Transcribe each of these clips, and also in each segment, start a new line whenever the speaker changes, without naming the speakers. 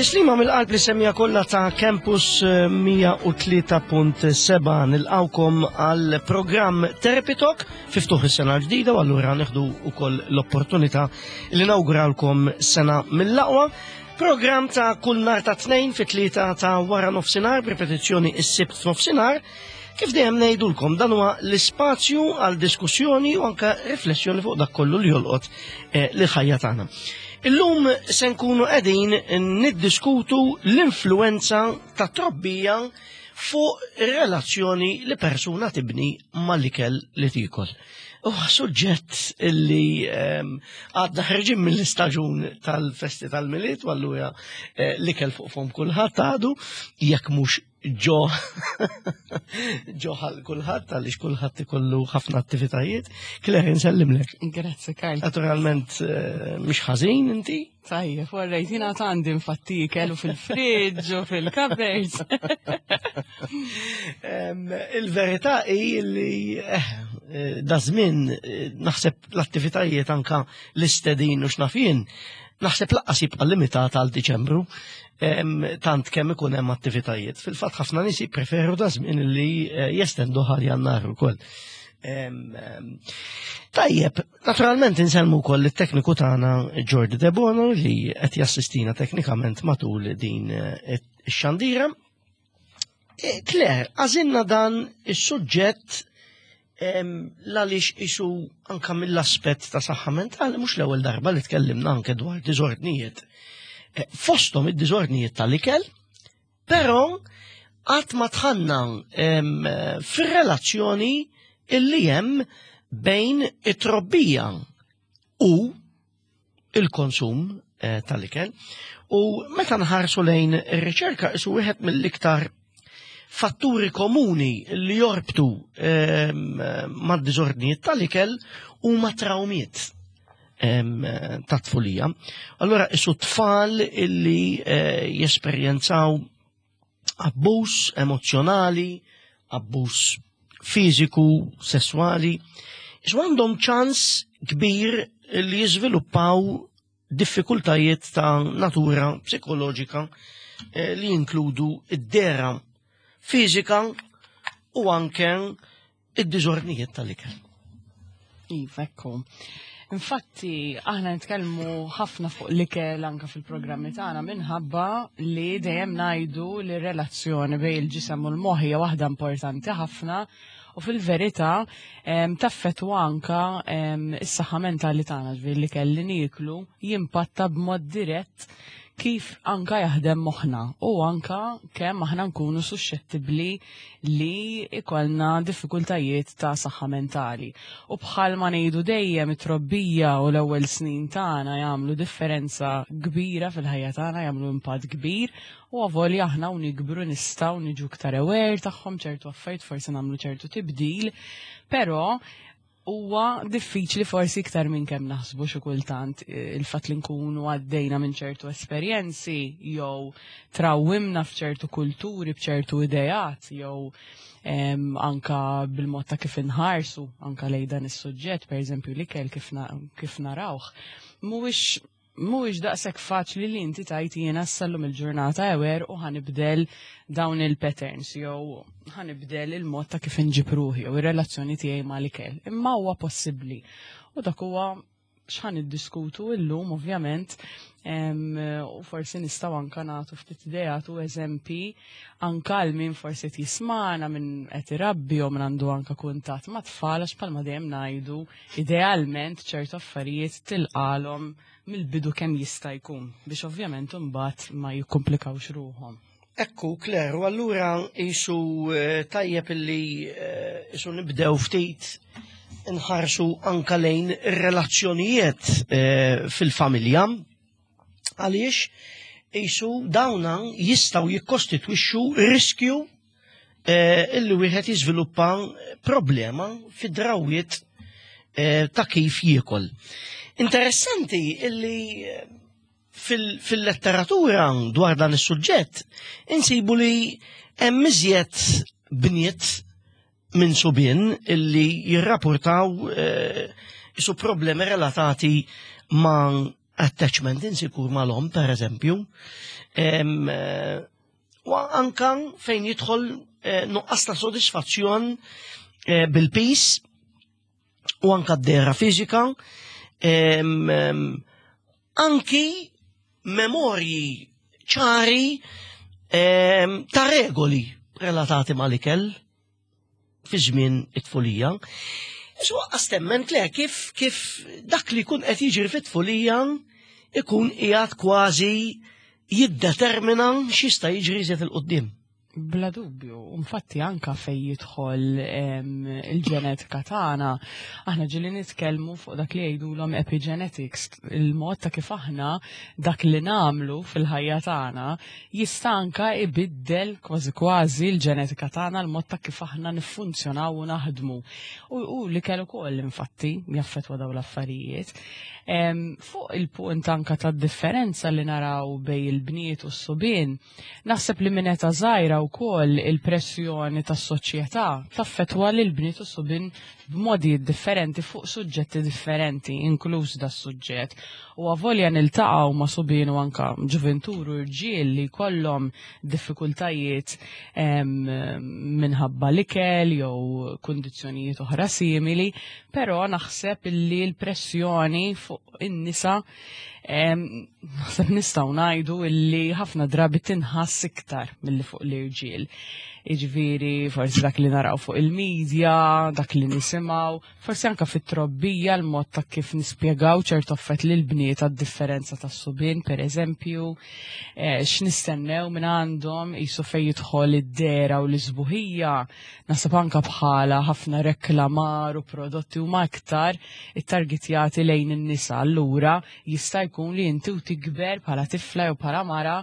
Tislima mill-qalb li semija kollha ta' Campus 103.7 nilqawkom għal programm Therapy Talk fiftuħ is-sena l-ġdida u allura nieħdu wkoll l-opportunità li nawguralkom sena mill-aqwa. Programm ta' kull nhar ta' tnejn fit-tlieta ta' wara nofsinhar b'ripetizzjoni s-sibt f'nofsinhar. Kif dejjem ngħidulkom dan huwa l-ispazju għal diskussjoni u anke riflessjoni fuq dak kollu li jolqot eh, l-ħajja tagħna. Illum se nkunu qegħdin niddiskutu l-influenza ta' trobbija fuq ir-relazzjoni li persuna tibni mal-ikel li tiekol. Huwa suġġett illi ehm, għadna ħerġin mill-istaġun tal-festi tal-Milied u allura eh, l-ikel fuq fom kulħadd għadu jekk mhux ġo ġo ħal kulħadd għaliex kulħadd ikollu ħafna attivitajiet. Claire, nsellimlek.
Grazzi, Karl.
Naturalment eh, mhux ħażin inti.
Tajjeb, warrejt jiena għandi infatti ikel u fil-friġġ u fil-cupboards.
Il-verità hi li eh, eh, da żmien naħseb l-attivitajiet anka l-istedin u x'nafien naħseb laqqas jibqa' limitat għal Diċembru tant kemm ikun hemm attivitajiet. Fil-fatt ħafna nies jippreferu da żmien li eh, jestendu ħal jannar ukoll. Tajjeb, naturalment insellmu wkoll it-tekniku tagħna Jordi Debono li qed jassistina teknikament matul din eh, ix-xandira. Eh, Claire, għażilna dan is-suġġett l-għaliex isu anka mill-aspett ta' saħħa mentali mhux l-ewwel darba li tkellimna anke dwar diżordnijiet. Eh, fosthom id-diżordnijiet tal-ikel, però qatt ma tħanna fir-relazzjoni illi hemm bejn it-trobbija u il-konsum eh, tal-ikel. U meta nħarsu lejn ir-riċerka isu wieħed mill-iktar fatturi komuni li jorbtu ehm, mad-diżordnijiet tal-ikel huma trawmiet ehm, ta' tfulija. Allora isu tfal illi eh, jesperjenzaw abbuż emozzjonali, abbuż fiżiku, sesswali, isu għandhom ċans kbir li jiżviluppaw diffikultajiet ta' natura psikoloġika eh, li jinkludu id-dera fiżika u anke id-diżordnijiet tal-ikel.
Iva, ekku. Infatti, aħna nitkellmu ħafna fuq l-ikel anka fil-programmi tagħna minħabba li dejjem ngħidu li r-relazzjoni bejn il-ġisem u l-moħħ hija waħda importanti ħafna u fil-verità taffettwa anka is-saħħa mentali tagħna, ġifieri l-ikel li nieklu jimpatta b'mod dirett kif anka jaħdem moħħna u anka kemm aħna nkunu suxxettibbli li ikollna diffikultajiet ta' saħħa mentali. U bħalma ngħidu dejjem it-trobbija u l-ewwel snin tagħna jagħmlu differenza kbira fil-ħajja tagħna, jagħmlu impatt kbir u avolja aħna u nikbru nistgħu niġu iktar aware tagħhom ċertu affarijiet forsi nagħmlu ċertu tibdil, però huwa diffiċli forsi iktar minn kemm naħsbu xi kultant eh, il-fatt li nkunu għaddejna minn ċertu esperjenzi jew trawwimna f'ċertu kulturi b'ċertu ideat jew anka bil-mod ta' kif inħarsu anka lejn dan is-suġġett, pereżempju l-ikel kif, kif narawh, mhuwiex mhuwiex daqshekk faċli li inti tajt jiena sallum il-ġurnata ewer u ħanibdel dawn il-patterns jew ħanibdel il-mod ta' kif inġib ruħi jew ir-relazzjoni tiegħi mal-ikel. Imma huwa possibbli. U dak huwa x'ħan iddiskutu illum ovvjament u forsi nistgħu anka nagħtu ftit ideat u eżempi anka għal min forsi qed jismana minn qed irabbi jew min għandu anka kuntatt ma' tfal għax bħalma dejjem ngħidu Idealment ċertu affarijiet tilqalhom mill-bidu kemm jista' jkun biex ovvjament imbagħad ma jikkumplikawx ruħhom.
Ekku, Claire, u allura jisu eh, tajjeb illi eh, jisu nibdew ftit nħarsu anka lejn ir-relazzjonijiet eh, fil-familja. Għaliex jisu dawna jistaw jikkostitwixxu riskju eh, illi wieħed jiżviluppa problema fid-drawiet eh, ta' kif jiekol. Interessanti illi eh, fil-letteratura dwar dan is-suġġett insibu li hemm iżjed bniet minn subien illi jirrapportaw isu problemi relatati ma' attachment insikur mal-om, per eżempju, u anka fejn jidħol nuqqas ta' sodisfazzjon bil-pis u anka d-dera fiżika, anki memorji ċari ta' regoli relatati mal-ikel fi żmien it-tfulija. Isu għastemment le kif kif dak li jkun qed jiġri fit-tfulija ikun qiegħed kważi jiddetermina x'jista' jiġri iżjed il-qudiem.
Bla dubju, infatti anka fej jidħol il-ġenetika tagħna, aħna ġieli nitkellmu fuq dak li jgħidulhom epigenetics, il-mod ta' kif aħna dak li nagħmlu fil-ħajja tagħna jista' anka ibiddel kważi kważi l-ġenetika tagħna l-mod ta' kif aħna niffunzjonaw u naħdmu. U, u li kellu ukoll infatti jaffettwa dawn l-affarijiet. Fuq il-punt anka tad-differenza li naraw bej il-bniet u s-subien, naħseb li minn età żgħira wkoll il-pressjoni tas-soċjetà taffettwa lil bniet u subien b'modijiet differenti fuq suġġetti differenti, inkluż da suġġett. U avolja niltaqgħu ma' subien u anka ġuventur u rġiel li jkollhom diffikultajiet minħabba l-ikel jew kundizzjonijiet oħra simili, però naħseb li l-pressjoni fuq in-nisa naħseb nistgħu ngħidu illi ħafna drabi tinħass iktar milli fuq l-irġiel. Jiġifieri forsi dak li naraw fuq il-medja, dak li nisimgħu, forsi anka fit-trobbija l-mod ta' kif nispjegaw ċertu affett lil bniet għad-differenza tas-subien, per eżempju, eh, x'nistennew minn għandhom qisu fejn jidħol id-dera u l-isbuħija, naħseb anka bħala ħafna reklamar u prodotti huma iktar ittargetjati lejn in-nisa. Allura jista' jkun li inti u tikber bħala tifla jew bħala mara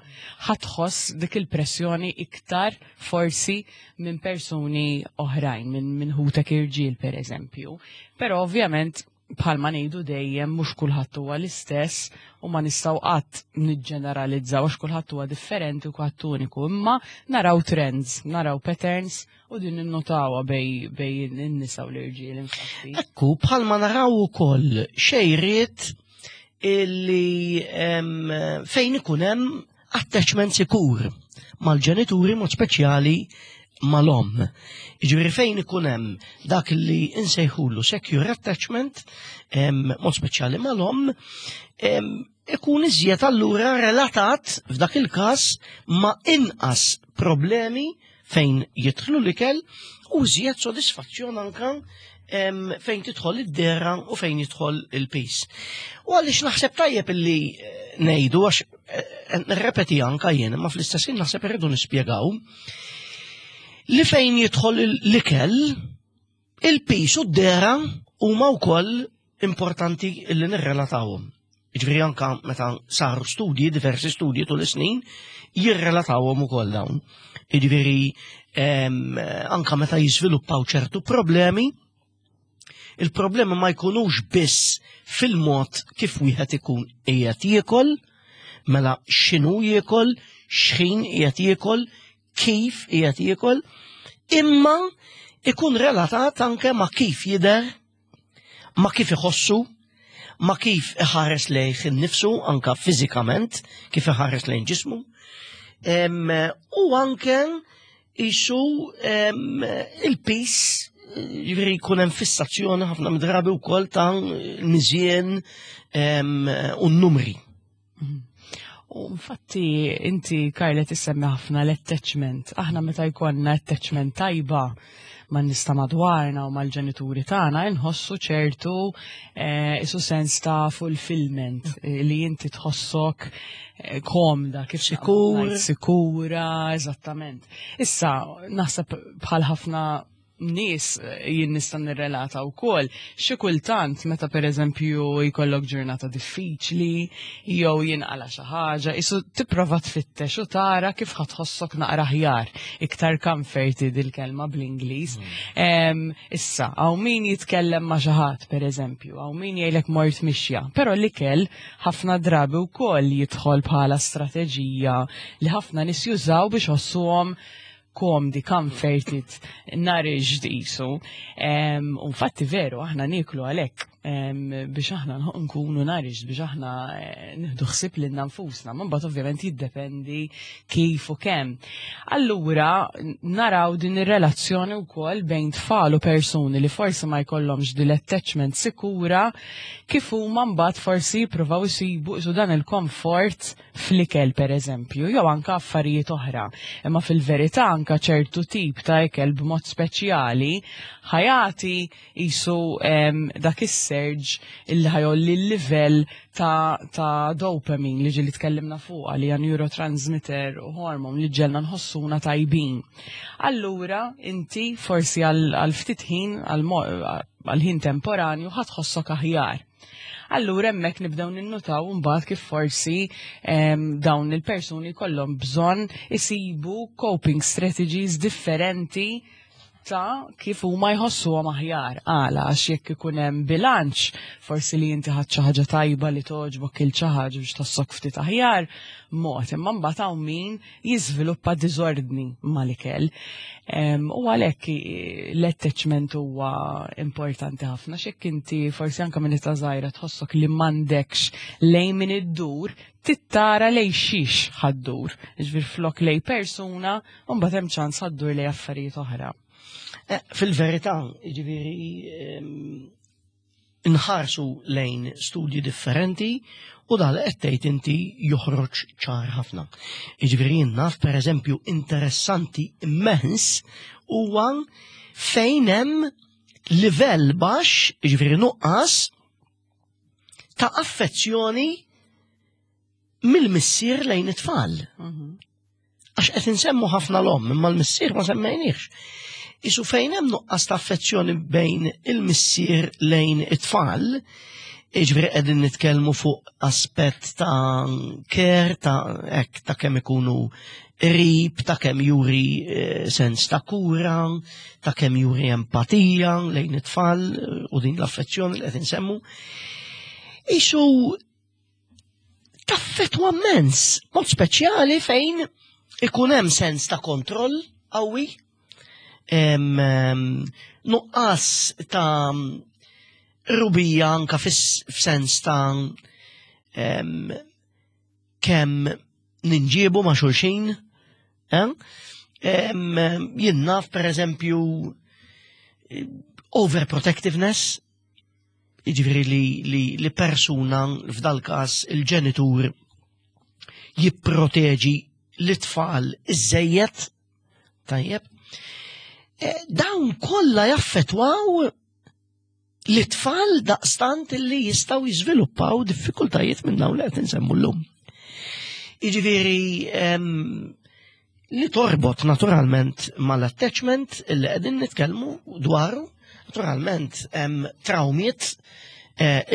ħatħoss dik il-pressjoni iktar forsi minn persuni oħrajn, minn min ħutek irġiel per eżempju. Però ovvjament bħalma ngħidu dejjem mhux kulħadd huwa l-istess u ma nistgħu qatt niġġeneralizzaw għax kulħadd huwa differenti u kulħadd uniku, imma naraw trends, naraw patterns u din ninnotawha bej bej in-nisa u l-irġiel infatti.
Ekku, bħalma naraw ukoll xejriet illi fejn ikun hemm attachment sikur mal-ġenituri mod speċjali mal-omm. Jiġifieri fejn ikun hemm dak li insejħulu secure attachment, mod speċjali mal-omm, ikun iżjed allura relatat f'dak il-każ ma' inqas problemi fejn jidħlu l-ikel u iżjed sodisfazzjon anka fejn tidħol id-dera u fejn jidħol il-pis. U għaliex naħseb tajjeb illi eh, ngħidu għax eh, nirrepeti anka jien, ma fl-istess ħin naħseb irridu nispjegaw li fejn jidħol l-ikel il-pis u d-dera huma wkoll importanti li nirrelatawhom. Jiġifieri anka meta saru studji, diversi studji tul is-snin, jirrelatawhom ukoll dawn. Jiġifieri anka meta jiżviluppaw ċertu problemi, il-problemi ma jkunux biss fil-mod kif wieħed ikun qiegħed jiekol, mela x'inhu jiekol, x'ħin qiegħed jiekol, kif qiegħed jiekol, imma ikun relatat anke ma' kif jidher ma' kif iħossu, ma' kif iħares lejh innifsu anka fiżikament, kif iħares lejn ġismu, u anke isu il-pis ġifieri jkun hemm fissazzjoni ħafna midrabi wkoll ta' miżien u n-numri.
U infatti inti Karla tissemmi ħafna l-attachment. Aħna meta jkollna attachment tajba man nista madwarna u mal-ġenituri tagħna inħossu ċertu eh, isu sens ta' fulfillment eh, li inti tħossok eh, komda kif
sikur
sikura eżattament. Issa naħseb bħal ħafna nies eh, jien nista' nirrelata wkoll. Xi kultant meta pereżempju jkollok ġurnata diffiċli jew jinqala xi ħaġa, isu tipprova tfittex u tara kif ħatħossok naqra aħjar, iktar comforted il-kelma bl-Ingliż. Mm. Issa, hawn min jitkellem ma' xi ħadd pereżempju, hawn min jgħidlek mort mixja, però l-ikel ħafna drabi wkoll jidħol bħala strateġija li ħafna nies jużaw biex ħossuhom komdi, comforted, nourished jisu. U infatti veru, aħna nieklu għalhekk. biex aħna nkunu nourished, biex aħna nieħdu ħsieb lilna nfusna, ma mbagħad ovvjament jiddependi kif u kemm. Allura naraw din ir-relazzjoni wkoll bejn tfal u persuni li forsi ma jkollhomx din l-attachment sikura, kif huma mbagħad forsi jippruvaw isibu isu dan il-komfort fl-ikel, pereżempju, jew anka affarijiet oħra. Imma fil-verità anka ċertu tip ta' ikel b'mod speċjali ħa jati isu dak is-surge illi ħa jgħolli l-livell ta dopamine li ġieli tkellimna fuqha, li hija neurotransmitter u hormone li ġġegħelna nħossuna tajbin. Allura inti forsi għal ftit ħin, għal ħin temporanju, ħa tħossok aħjar. Allura hemmhekk nibdew ninnutaw mbagħad kif forsi dawn il-persuni kollhom bżonn isibu coping strategies differenti ta' kif huma jħossuhom aħjar. Għala, għax jekk ikun hemm bilanċ, forsi li inti ħadd xi ħaġa tajba li togħġbok, il xi ħaġa biex tħossok ftit aħjar, mod, imma mbagħad hawn min jiżviluppa diżordni mal-ikel. U għalhekk l-attachment huwa importanti ħafna, x'hekk inti forsi anke minn età żgħira tħossok li m'għandekx lejn min iddur, tittara lej xiex ħa ddur. Ġifier flok lej persuna, u mbagħad hemm ċans ħa ddur lej affarijiet oħra.
Fil-verità, ġifieri, nħarsu lejn studji differenti u dal qed tgħid inti joħroġ ċar ħafna. Jiġifieri jien naf, pereżempju, interessanti immens huwa fejn hemm livell baxx, jiġifieri nuqqas ta' affezzjoni mill-missier lejn it-tfal. Għax qed insemmu ħafna l-omm, imma l-missier ma semmejniex. Isu fejn hemm nuqqas ta' affezzjoni bejn il-missier lejn it-tfal, jiġifieri qegħdin nitkellmu fuq aspett ta' care, ta' hekk, ta' kemm ikunu qrib, ta' kemm juri sens ta' kura, ta' kemm juri empatija lejn it-tfal u din l-affezzjoni li qed insemmu. Isu taffetwa immens, mod speċjali fejn ikun hemm sens ta' kontroll qawwi, nuqqas ta' rubija anka f'sens ta' kemm ninġiebu ma' xulxin, eh? Jien naf, per eżempju, overprotectiveness, jiġifieri li persuna, f'dal każ il-ġenitur, jipproteġi l-tfal iżejjed, tajjeb. Dawn kollha jaffettwaw l-tfal daqstant li jistgħu jiżviluppaw diffikultajiet minn dawn li qed insemmu llum. Jiġifieri li torbot naturalment mal-attachment li qegħdin nitkellmu dwaru, naturalment hemm trawmiet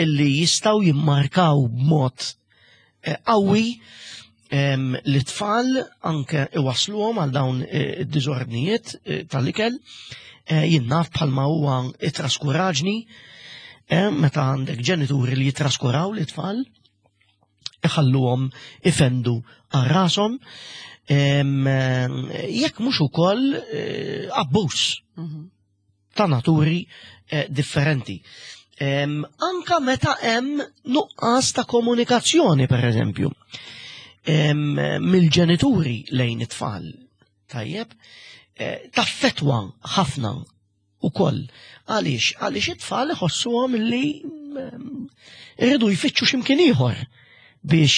illi jistgħu jimmarkaw b'mod qawwi l-tfal, anke iwasluhom għal dawn id-diżordnijiet tal-ikel. Jien naf bħalma huwa it-traskuraġni, meta għandek ġenituri li jitraskuraw l-tfal, iħalluhom ifendu għal rashom, jekk mhux ukoll abbuż ta' naturi differenti. Anka meta hemm nuqqas ta' komunikazzjoni, per eżempju, mill-ġenituri lejn it-tfal, tajjeb, taffetwa ħafna ukoll. Għaliex? Għaliex it-tfal iħossuhom li irridu jfittxu x'imkien ieħor biex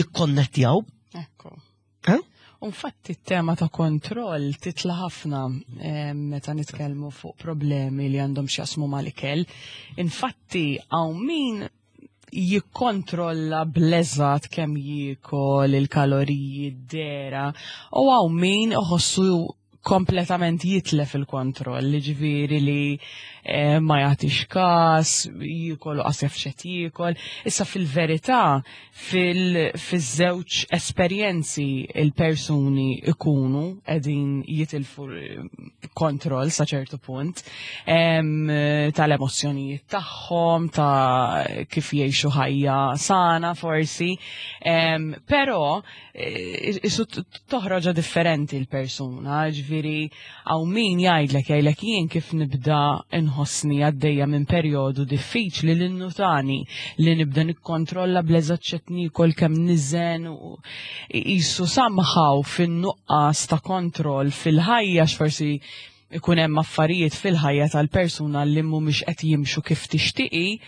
jikkonnettjaw.
Ekku.
Eh?
Infatti t-tema ta' kontroll titla ħafna meta nitkellmu fuq problemi li għandhom x'jaqsmu mal-ikel. Infatti hawn min jikkontrolla bl-eżatt kemm jiekol, il-kaloriji, d-dera, u hawn min iħossu kompletament jitlef il-kontroll, ġifieri li ma jagħtix każ, jiekol u qas jaf x'qed jiekol. Issa fil-verità, fiż-żewġ esperjenzi il-persuni ikunu qegħdin jitilfu kontroll sa ċertu punt tal-emozzjonijiet tagħhom, ta' kif jgħixu ħajja sana forsi, però isu toħroġa differenti l-persuna, ġifieri. Ġifieri hawn min jgħidlek jgħidlek jien kif nibda nħossni għaddejja minn perjodu diffiċli li nnutani li nibda nikkontrolla bl-eżatt x'qed niekol kemm niżen u qisu somehow fin-nuqqas ta' kontroll fil-ħajja x'forsi ikun hemm affarijiet fil-ħajja tal-persuna li mhumiex qed jimxu kif tixtieqi,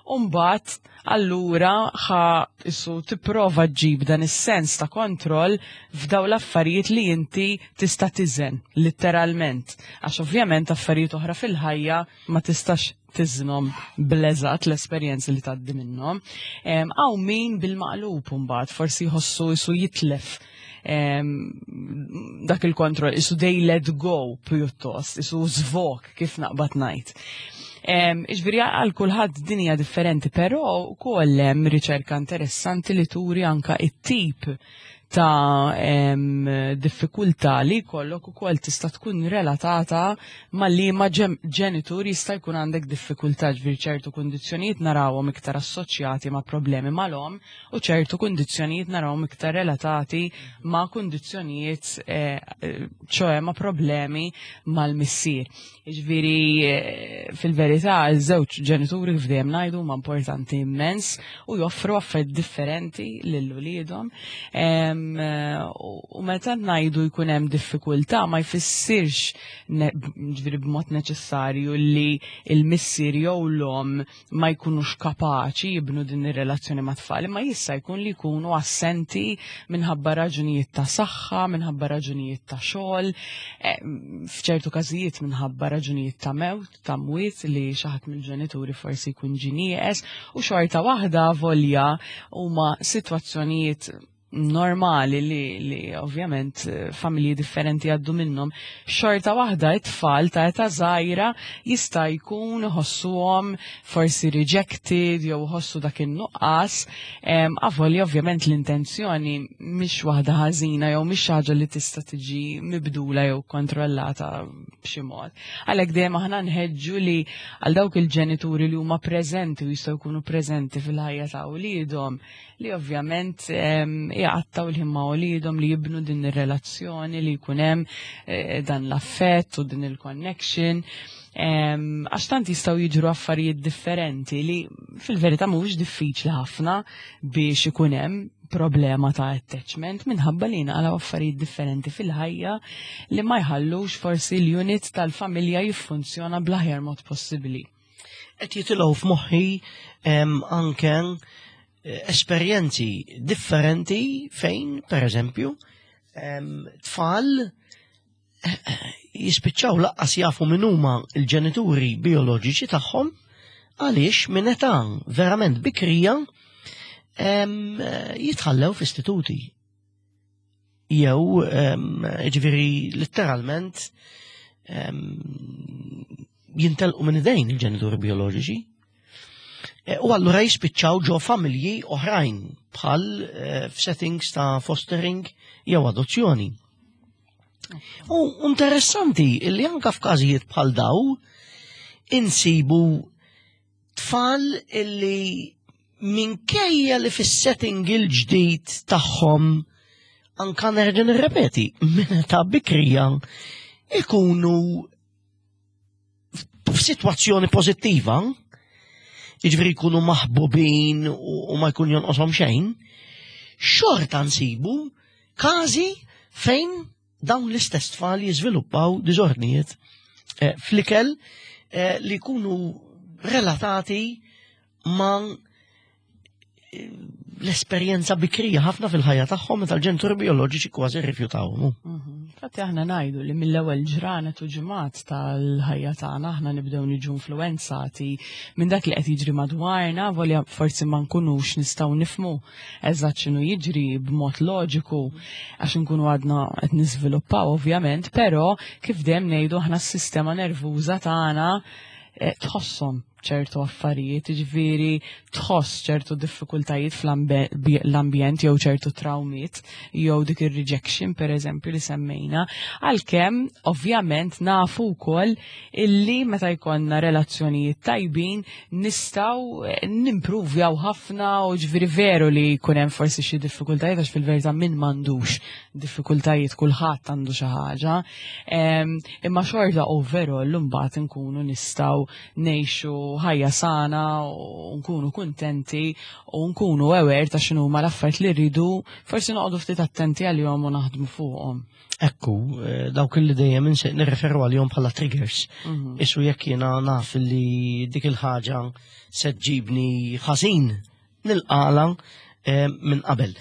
u mbagħad allura ħa isu tipprova ġġib dan is-sens ta' kontroll f'daw l-affarijiet li inti tista' tiżen, litteralment. Għax ovvjament affarijiet oħra fil-ħajja ma tistax tiżnhom bl-eżatt l-esperjenzi li tgħaddi minnhom. Hawn min bil-maqlub mbagħad forsi jħossu isu jitlef dak il-kontroll, isu they let go pjuttost, isu zvok kif naqbad ngħid. Iġviri għal kulħadd dinja differenti, però wkoll hemm riċerka interessanti li turi anka it-tip ta' diffikultà li jkollok ukoll tista' tkun relatata ma' liema ġenitur jista' jkun għandek diffikultà ġifieri ċertu kundizzjonijiet narawhom iktar assoċjati ma' problemi mal-omm u ċertu kundizzjonijiet narawhom iktar relatati ma' kundizzjonijiet eh, ċoe ma' problemi mal-missier. Jiġifieri eh, fil-verità iż-żewġ ġenituri kif dejjem ngħidu huma importanti immens u joffru affarijiet differenti lil uliedhom. Eh, u meta ngħidu jkun hemm diffikultà ma jfissirx ġifieri b'mod neċessarju li l-missier jew l-omm ma jkunux kapaċi jibnu din ir-relazzjoni ma' tfal, imma jista' jkun li jkunu assenti minħabba raġunijiet ta' saħħa, minħabba raġunijiet ta' xogħol, eh, f'ċertu każijiet minħabba raġunijiet ta' mewt, ta' mwiet li xi ħadd mill-ġenituri forsi jkun ġie nieqes u xorta waħda volja huma sitwazzjonijiet normali li, li ovvjament eh, familji differenti għaddu minnhom, xorta waħda it-tfal ta' età żgħira jista' jkun iħossuhom forsi rejected jew iħossu dak in-nuqqas, avolja ovvjament l-intenzjoni mhix waħda ħażina jew mhix ħaġa li tista' tiġi mibdula jew kontrollata b'xi mod. Għalhekk dejjem aħna nħeġġu li għal dawk il-ġenituri li huma preżenti u jistgħu jkunu preżenti fil-ħajja ta' wliedhom, li ovvjament jgħattaw l-ħin ma' uliedhom li jibnu din ir-relazzjoni li jkun hemm eh, dan l-affett u din il-connection. Għax tant jistgħu jiġru affarijiet differenti li fil-verità mhuwiex diffiċli ħafna biex ikun hemm problema ta' attachment minħabba li naqalaw affarijiet differenti fil-ħajja li ma jħallux forsi l-unit tal-familja jiffunzjona bl-aħjar mod possibbli.
Qed jitilgħu f'moħħi anke eh, esperjenzi differenti fejn, per eżempju, tfal eh, eh, jispiċċaw laqqas jafu min huma l-ġenituri bioloġiċi tagħhom għaliex minn età verament bikrija jitħallew f'istituti. Jew, ġifieri letteralment jintelqu minn idejn il-ġenituri bioloġiċi. E, u allura jispiċċaw ġo familji oħrajn bħal e, f'settings ta' fostering jew adozzjoni. U interessanti li anka f'każijiet bħal daw insibu tfal illi minkejja li fis-setting il-ġdid tagħhom anka nerġa' nirrepeti minn ta' bikrija ikunu f'sitwazzjoni pożittiva, jiġifieri jkunu maħbubin u ma jkun jonqoshom xejn, xorta nsibu każi fejn dawn l-istess tfal jiżviluppaw diżordnijiet eh, fl-ikel eh, li jkunu relatati ma' l-esperjenza bikrija ħafna fil-ħajja tagħhom meta l-ġenituri bioloġiċi kważi rrifjutawhom.
Mhm. Infatti aħna ngħidu li mill-ewwel ġranet u ġimgħat tal-ħajja tagħna aħna nibdew niġu influenzati minn dak li qed jiġri madwarna, volja forsi ma nkunux nistgħu nifmu eżatt x'inhu jiġri b'mod loġiku għax inkunu għadna qed niżviluppaw ovvjament, però kif dejjem ngħidu aħna s-sistema nervuża tagħna eh, tħosshom. ċertu affarijiet, ġifieri tħoss ċertu diffikultajiet fl-ambjent jew ċertu trawmiet jew dik ir-rejection pereżempju li semmejna, għalkemm ovvjament nafu wkoll illi meta jkollna relazzjonijiet tajbin nistgħu eh, nimpruvjaw ħafna u ġifieri veru li jkun hemm forsi xi diffikultajiet għax fil-verità min m'għandux diffikultajiet kulħadd għandu xi ħaġa. Imma xorta overall imbagħad nkunu nistgħu ngħixu ħajja sana u nkunu kuntenti u nkunu aware ta' x'inhuma l-affarijiet li rridu forsi noqogħdu ftit attenti għalihom u naħdmu fuqhom.
Ekku, eh, dawk li dejjem nirreferu għalihom bħala triggers. Mhm. Isu jekk jiena naf li dik il-ħaġa se ġibni ħażin nilqala eh, minn qabel.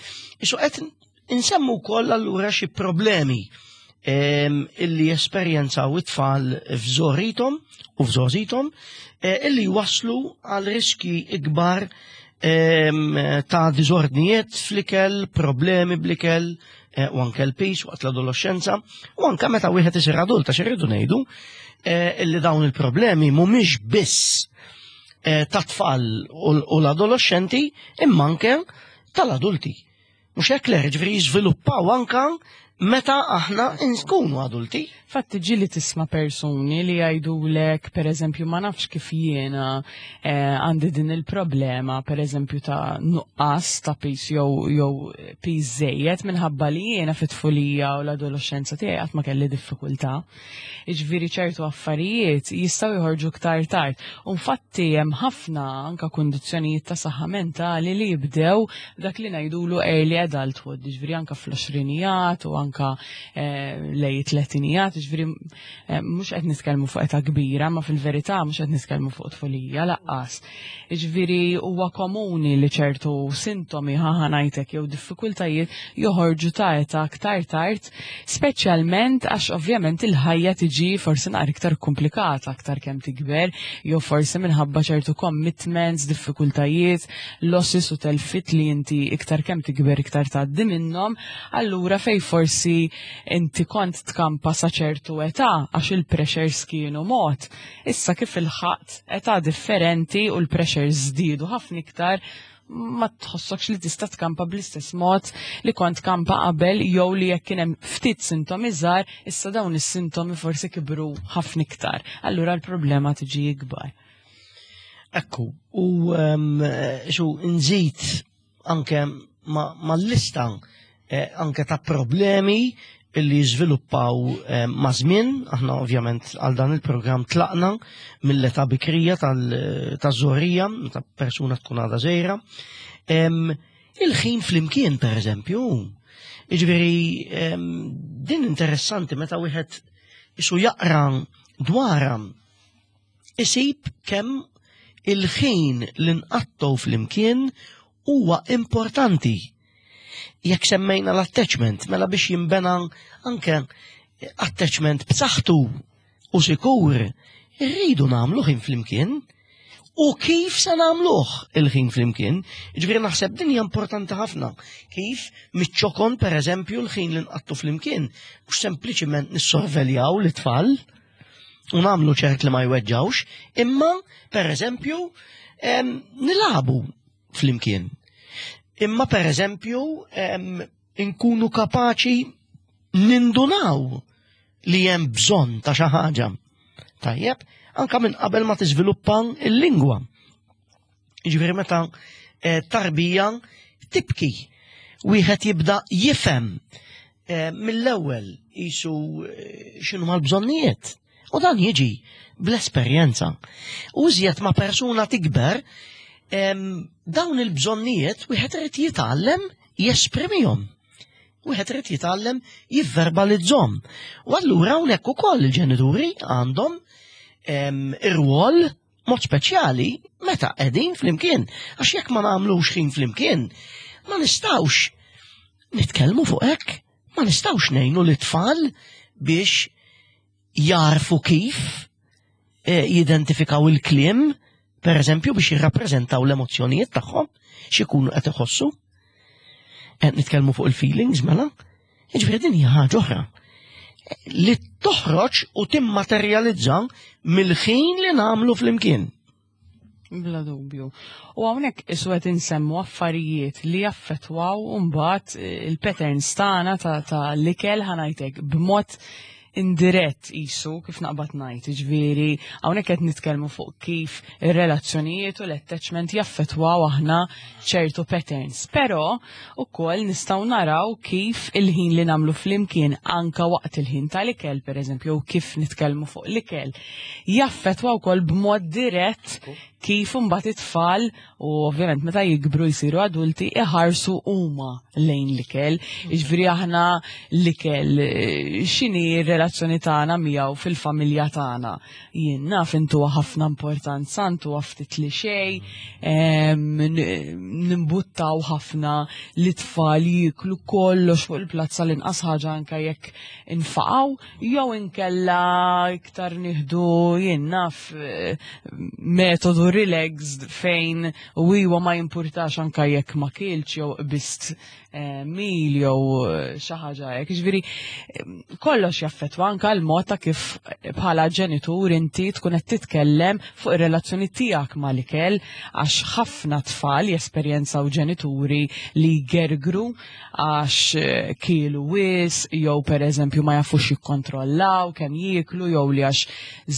Isu qed insemmu wkoll allura xi problemi eh, illi jesperjenzaw it-tfal f'żoritom u f'żożitom eh, illi waslu għal riski ikbar ta' diżordnijiet fl-ikel, problemi bl-ikel, u anke l-pis waqt l-adolescenza, u anke meta wieħed isir adult, għax irridu ngħidu illi dawn il-problemi mhumiex biss Eh, ta' tfal u l-adolescenti imma anke tal-adulti. Mhux hekk le, ġifieri jiżviluppaw anka meta aħna nkunu adulti.
Fatti ġili tisma persuni li jgħidulek, per eżempju, ma nafx kif jiena eh, għandi din il-problema, per eżempju, ta' nuqqas ta' pis jew jew pis żejjed minħabba li jiena fit-tfulija u l-adolescenza tiegħi qatt ma kelli diffikultà. Jiġifieri ċertu affarijiet jistgħu joħorġu iktar tard. U infatti hemm ħafna anka kundizzjonijiet ta' saħħa mentali li jibdew dak li ngħidulu early adulthood, jiġifieri anka fl-għoxrinijat u anka eh, lej tletinijat, jiġifieri eh, mhux qed nitkellmu fuq età kbira, ma fil-verità mhux qed nitkellmu fuq tfulija laqqas. Jiġifieri huwa komuni li ċertu sintomi ħaħa ngħidlek jew diffikultajiet joħorġu ta' età aktar tard, speċjalment għax ovvjament il-ħajja tiġi forsi naqra iktar komplikata aktar kemm tikber, jew forsi minħabba ċertu commitments, diffikultajiet, losses u telfit li inti iktar kemm tikber iktar tgħaddi minnhom, allura fej forsi inti kont tkampa sa ċertu età għax il-pressures kienu mod. Issa kif ilħaqt età differenti u l-pressures żdiedu ħafna iktar, ma tħossokx li tista' tkampa bl-istess mod li kont kampa qabel jew li jekk kien hemm ftit sintomi żgħar, issa dawn is-sintomi forsi kibru ħafna iktar. Allura l-problema tiġi ikbar.
Ekku, u ehm, xu nżid anke mal-lista eh, anke ta' problemi illi jiżviluppaw eh, ma' żmien, aħna ovvjament għal dan il-programm tlaqna mill-età bikrija taż-żorija, ta' persuna tkun għadha żgħira. Il-ħin flimkien, per eżempju, jiġifieri din interessanti meta wieħed isu jaqra dwarha isib kemm il-ħin li nqattgħu flimkien huwa importanti. Jekk semmejna l-attachment, mela biex jinbena anke attachment b'saħħtu u sikur, irridu nagħmlu ħin flimkien. U kif se nagħmluh il-ħin flimkien? Ġifieri naħseb din hija importanti ħafna. Kif miċ-ċokon pereżempju l-ħin li nqattu flimkien, mhux sempliċiment nissorveljaw l-itfal, u nagħmlu ċert li ma jweġġawx, imma per eżempju nilabu flimkien. Imma per eżempju nkunu kapaċi nindunaw li hemm bżonn ta' xi ħaġa. Tajjeb, anka minn qabel ma tiżviluppa l-lingwa. Jiġifieri meta eh, tarbija tibki, wieħed jibda jifhem eh, mill-ewwel jisu eh, x'inhu mal-bżonnijiet. U dan jiġi bl-esperjenza. U iżjed ma' persuna tikber, dawn il-bżonnijiet wieħed irid jitgħallem jesprimihom. Wieħed irid jitgħallem jivverbalizzhom. U allura hawnhekk ukoll il-ġenituri għandhom ir-rwol mod speċjali meta qegħdin flimkien. Għax jekk ma nagħmlux ħin flimkien, ma nistgħux nitkellmu fuq hekk, ma nistgħux ngħinu lit-tfal biex jarfu kif eh, jidentifikaw il-kliem, per eżempju, biex jirrappreżentaw l-emozzjonijiet tagħhom, x'ikunu qed iħossu. Qed nitkellmu fuq il-feelings mela, jiġifieri din hija ħaġa oħra li toħroġ u timmaterjalizza mill-ħin li nagħmlu flimkien.
Bla dubju. U hawnhekk isu qed insemmu affarijiet li jaffettwaw mbagħad il-patterns tagħna ta' l-ikel ħanajtek b'mod indirett isu kif naqbad ngħid, jiġifieri hawnhekk qed nitkellmu fuq kif ir-relazzjonijiet u l-attachment jaffettwaw aħna ċertu patterns. Però ukoll nistgħu naraw kif il-ħin li nagħmlu flimkien anka waqt il-ħin tal-ikel, pereżempju, jew kif nitkellmu fuq l-ikel, jaffettwa wkoll b'mod dirett kif imbagħad it-tfal u ovvjament meta jikbru jsiru adulti iħarsu huma lejn l-ikel. Jiġifieri aħna l-ikel x'inhi r-relazzjoni tagħna miegħu fil-familja tagħna. Jien naf intuha ħafna importanza, intuha ftit li xejn, nimbuttaw ħafna li tfal jieklu kollox fuq il-plazza l-inqas ħaġa anke jekk infaqgħu jew inkella iktar nieħdu jien naf metodu relaxed fejn u iwa ma jimpurtax anka jekk ma kilx jew qbist mil jew xi ħaġa hekk. Jiġifieri kollox jaffettwa anka l-mod ta' kif bħala ġenitur inti tkun qed titkellem fuq ir-relazzjoni tiegħek mal-ikel għax ħafna tfal jesperjenzaw ġenituri li jgergru għax kielu wisq jew pereżempju ma jafux jikkontrollaw kemm jieklu jew li għax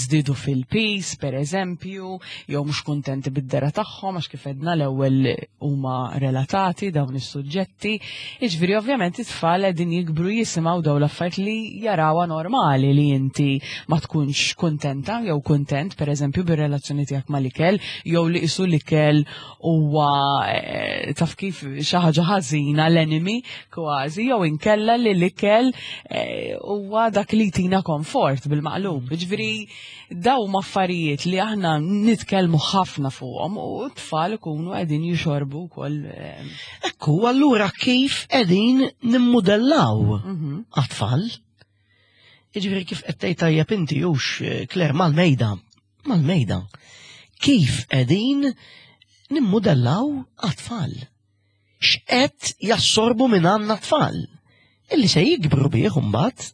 żdiedu fil-piż pereżempju jew mhux kuntenti bid-dehra tagħhom għax kif għedna l-ewwel huma relatati dawn is-suġġetti. Jiġifieri ovvjament it-tfal qegħdin jikbru jisimgħu dawn l-affarijiet li jarawha normali li inti ma tkunx kuntenta jew kuntent pereżempju bir-relazzjoni tiegħek mal-ikel jew li qisu l-ikel huwa eh, taf kif xi ħaġa ħażina l-enemy kważi jew inkella li l-ikel eh, huwa dak li jtina komfort bil-maqlub. Ġifieri daw affarijiet li aħna nitkellmu ħafna fuqhom u t-tfal ikunu qegħdin jixorbu wkoll. Eh.
Ekku, allura kif qegħdin nimmudellaw mhm. għat-tfal? Jiġifieri kif qed tgħid tajjeb inti hux Claire mal-mejda, mal-mejda. Kif qegħdin nimmudellaw għat-tfal? X'qed jassorbu minn għandna tfal? Illi se jikbru bih imbagħad.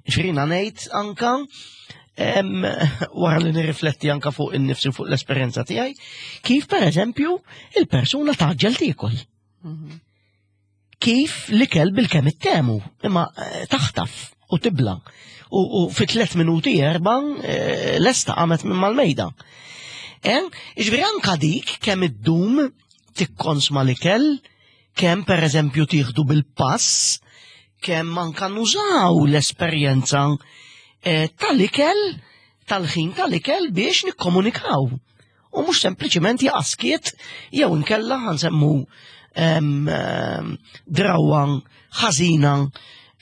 Ġifieri ngħid anka wara li nirrifletti anka fuq innifsi fuq l-esperjenza tiegħi, kif pereżempju il-persuna taġġel tiekol. Mhm. Kif l-ikel bil-kemm ittemu, imma eh, taħtaf u tibla. U fi tlet minuti erba eh, lesta qamet minn mal-mejda. Eh, Ġifieri anka dik kemm iddum tikkonsma l-ikel, kemm pereżempju tieħdu bil-pass, kemm anka nużaw l-esperjenza tal-ikel, tal-ħin tal-ikel biex nikkomunikaw. U mhux sempliċiment jaqa' skiet jew inkella ħansemmu drawwa ħażina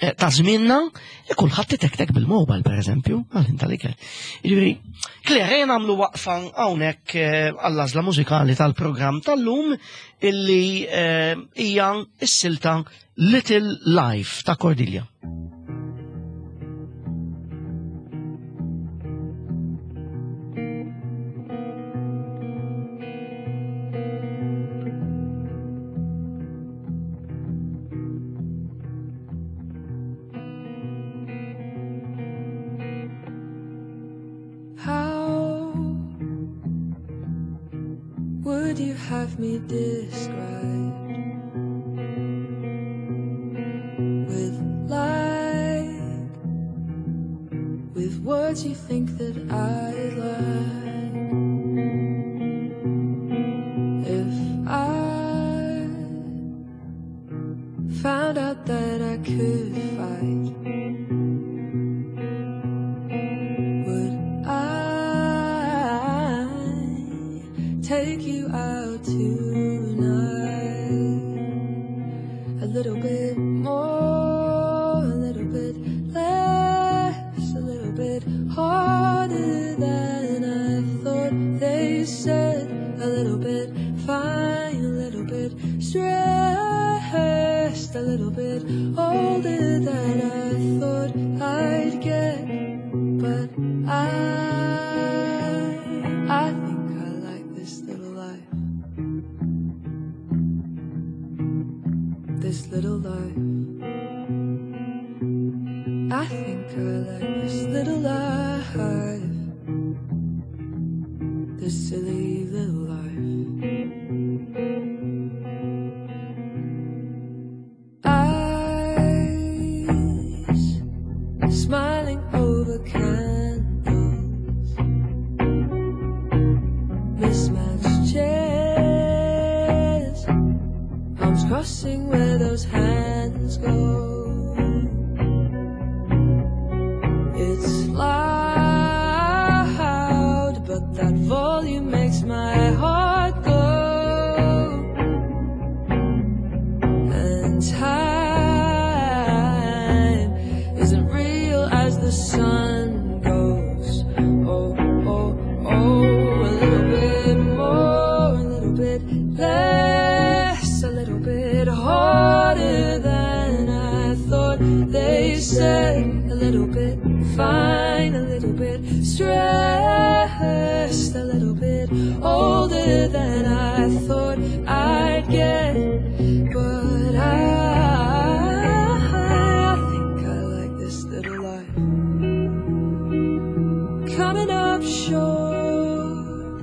eh, ta' żmienna li kulħadd itektek bil-mobile pereżempju għal tal-ikel. Jiġifieri, Claire, ejja nagħmlu waqfa hawnhekk eh, għall-għażla mużikali tal-programm tal-lum illi eh, hija s-silta Little Life ta' Cordelia.
How would you have me described? With light, with words you think that I'd like. If I found out that I could fight, would I take you out tonight? A little bit more, a little bit less, a little bit harder than I thought. They said a little bit fine, a little bit stressed, a little bit older than I thought I'd get. But I think I like this little life. This little life. I think I like this little life. This silly little life. Eyes smiling over candles, mismatched chairs, arms crossing where those hands go. It's loud, but that volume makes my heart go. And time isn't real as the sun goes. Oh, oh, oh, a little bit more, a little bit less, a little bit harder than I thought. They said a little bit fine, a little bit stressed, a little bit older than I thought I'd get. But I think I like this little life. Coming up short,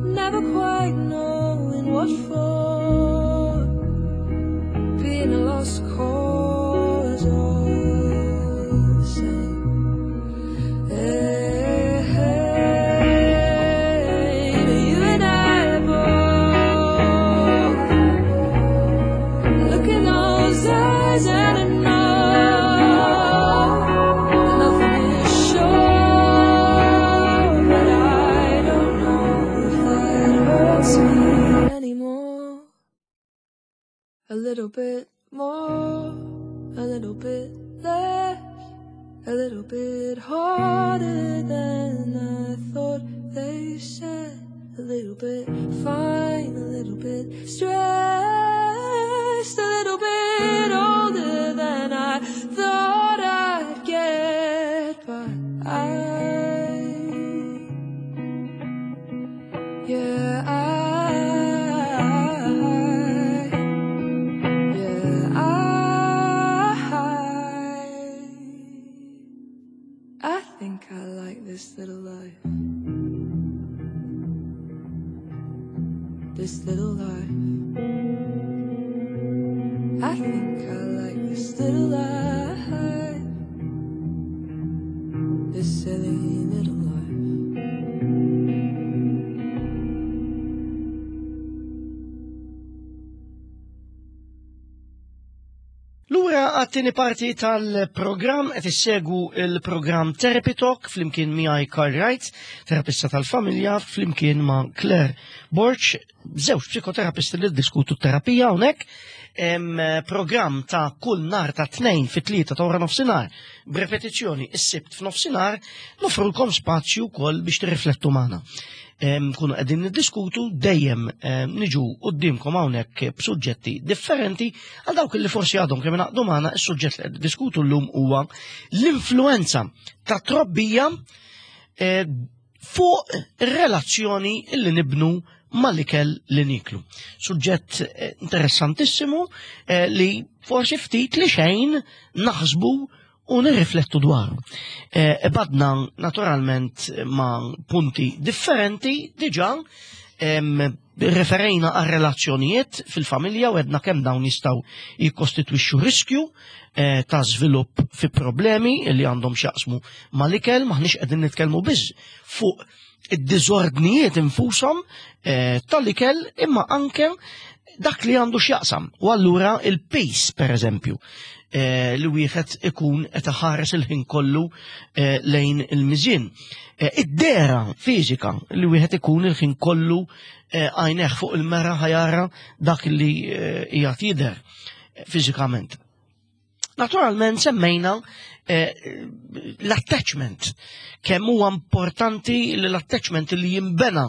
never quite knowing what for. Being a lost cause all the same. Hey, but you and I both look in those eyes and I know that nothing is sure, but I don't know if that hurts me anymore. A little bit more, a little bit less, a little bit harder than I thought. They said a little bit fine, a little bit stressed, a little bit older than I thought I'd get. But yeah, I think I like this little life. This little life. I think I like this little life. This silly little life.
Lura għat-tieni parti tal-programm qed issegwu il-programm Therapy Talk flimkien miegħi Karl Wright, terapista tal-familja, flimkien ma' Claire Borg, żewġ psikoterapisti li ddiskutu t-terapija hawnhekk. Programm ta' kull nhar ta' 2 fit-3 ta' wara nofsinhar, b'repetizzjoni is-Sibt f'nofsinhar, nofrulkom spazju wkoll biex tirriflettu magħna. Nkunu qegħdin niddiskutu dejjem niġu quddiemkom hawnhekk b'suġġetti differenti. Għal dawk li forsi għadhom kemm ingħaqdu magħna, is-suġġett li qed niddiskutu llum huwa l-influenza ta' trobbija fuq ir-relazzjoni li nibnu mal-ikel li niklu. Suġġett interessantissimu li forsi ftit li xejn naħsbu u nirriflettu dwaru. Badna naturalment ma' punti differenti diġà, referejna għal relazzjonijiet fil-familja u għedna kemm dawn jistgħu jikkostitwixxu riskju ta' żvilupp fi problemi li għandhom x'jaqsmu mal-ikel. Maħniex qegħdin nitkellmu biss fuq id-diżordnijiet infushom tal-ikel, imma anke dak li għandu x'jaqsam. U allura il-pace, per eżempju, li wieħed ikun qed iħares il-ħin kollu lejn il-miżien. Id-dera fiżika li wieħed ikun il-ħin kollu għajneh fuq il-mera ħajara dak li qiegħed jidher fiżikament. Naturalment semmejna l-attachment, kemm huwa importanti li l-attachment li jinbena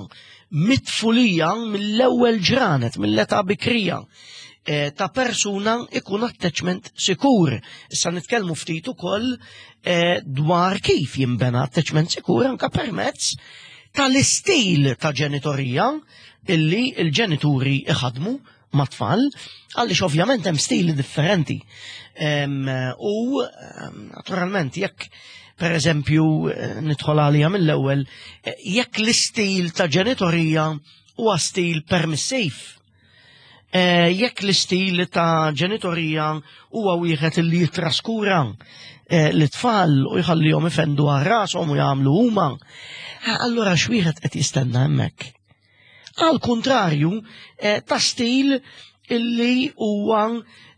mit-tfulija, mill-ewwel ġranet, mill-età bikrija ta' persuna ikun attachment sikur. Issa nitkellmu ftit ukoll dwar kif jinbena attachment sikur anka permezz tal-istil ta' ġenitorija illi l-ġenituri iħadmu. mat-tfal, għaliex ovvjament hemm stili differenti. U naturalment jekk per eżempju eh, nidħol għalija mill-ewwel, eh, jekk l-istil ta' ġenitorija huwa stil permissiv, eh, jekk l-istil ta' ġenitorija huwa wieħed li jitraskura l-tfal u jħallihom ifendu għal rashom u jagħmlu huma, allura x'wieħed qed jistenna hemmhekk? Għal kontrarju eh, ta' stil illi huwa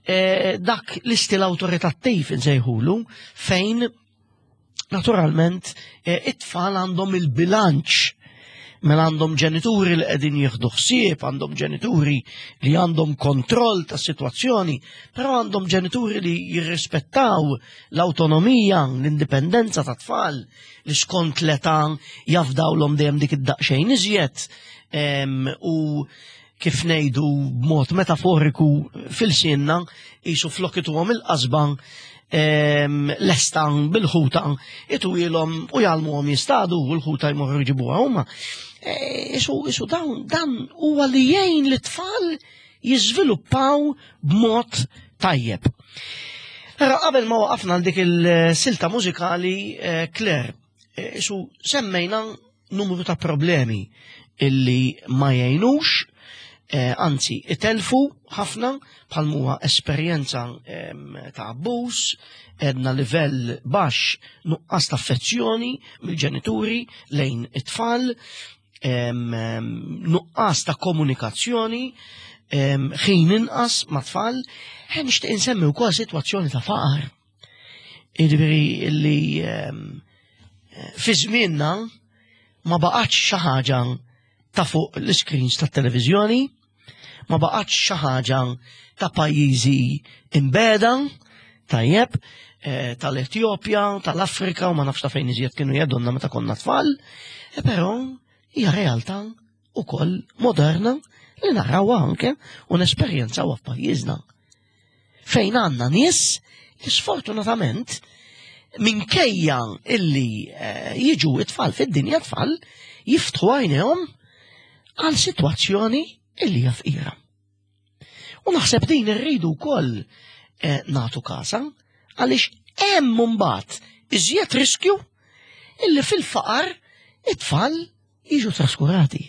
eh, dak l-istil awtoritattiv insejħulu fejn naturalment eh, it-tfal għandhom il-bilanċ mela għandhom ġenituri li qegħdin jieħdu ħsieb, għandhom ġenituri li għandhom kontroll tas sitwazzjoni, però għandhom ġenituri li jirrispettaw l-awtonomija, l-indipendenza ta' tfal, li skont l-età jafdawlhom dejjem dik id-daqsxejn iżjed u kif ngħidu b'mod metaforiku fil-sinna jisu flok ituhom il-qasba lesta bil-ħuta itwilhom u jgħallmuhom jistadu u l-ħuta jmorru jġibuha huma. E, isu isu dawn dan huwa li jgħin l-tfal jiżviluppaw b'mod tajjeb. Ara qabel ma waqafna għal dik il-silta mużikali eh, Claire, eh, isu semmejna numru ta' problemi illi ma jgħinux, eh, anzi itelfu ħafna bħal muwa esperjenza ta' abbuż, edna livell baxx nuqqas ta' affezzjoni mill-ġenituri lejn it-tfal, nuqqas ta' komunikazzjoni, ħin inqas ma' tfal, nixtieq insemmi wkoll sitwazzjoni ta' faqar. Jiġifieri li fi żmienna ma baqgħetx xi ħaġa ta' fuq l-screens tat-televiżjoni, ma baqgħetx xi ħaġa ta' pajjiżi imbeda, tajjeb, eh, tal-Etjopja, tal-Afrika u ma nafx ta' fejn iżjed kienu jgħidulna meta konna tfal, eh, però hija realtà ukoll moderna li narawha anke u nesperjenzawha f'pajjiżna. Fejn għandna nies li sfortunatament minkejja illi eh, jiġu it-tfal fid-dinja tfal jiftħu għajnejhom għal sitwazzjoni illi hija fqira. U naħseb din irridu wkoll eh, nagħtu kasa għaliex hemm mbagħad iżjed riskju illi fil-faqar it-tfal jiġu traskurati.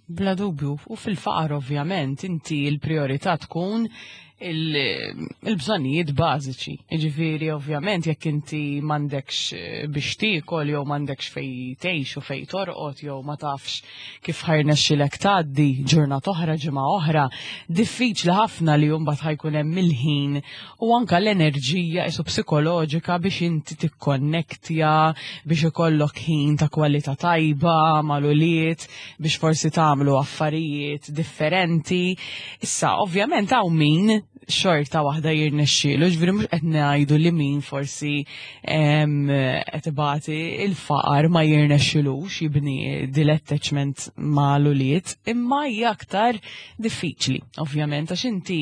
Bla dubju, u fil-faqar ovvjament inti l-priorità tkun il-bżonnijiet bażiċi. Jiġifieri ovvjament jekk inti m'għandekx eh, biex tiekol jew m'għandekx fej tgħix u fej torqod jew ma tafx kif ħajrnexxilek tgħaddi ġurnata oħra ġimgħa oħra, diffiċli ħafna li mbagħad ħajkun hemm il-ħin u anka l-enerġija isu psikoloġika biex inti tikkonnektja, biex ikollok ħin ta' kwalità tajba mal-ulied, biex forsi tagħmlu affarijiet differenti. Issa, ovvjament hawn min xorta waħda jirnexxielu, ġifieri mhux qed ngħidu li min forsi qed ibati il-faqar ma jirnexxilux jibni dil-attachment ma' l-ulied, imma hija aktar diffiċli, ovvjament, għax inti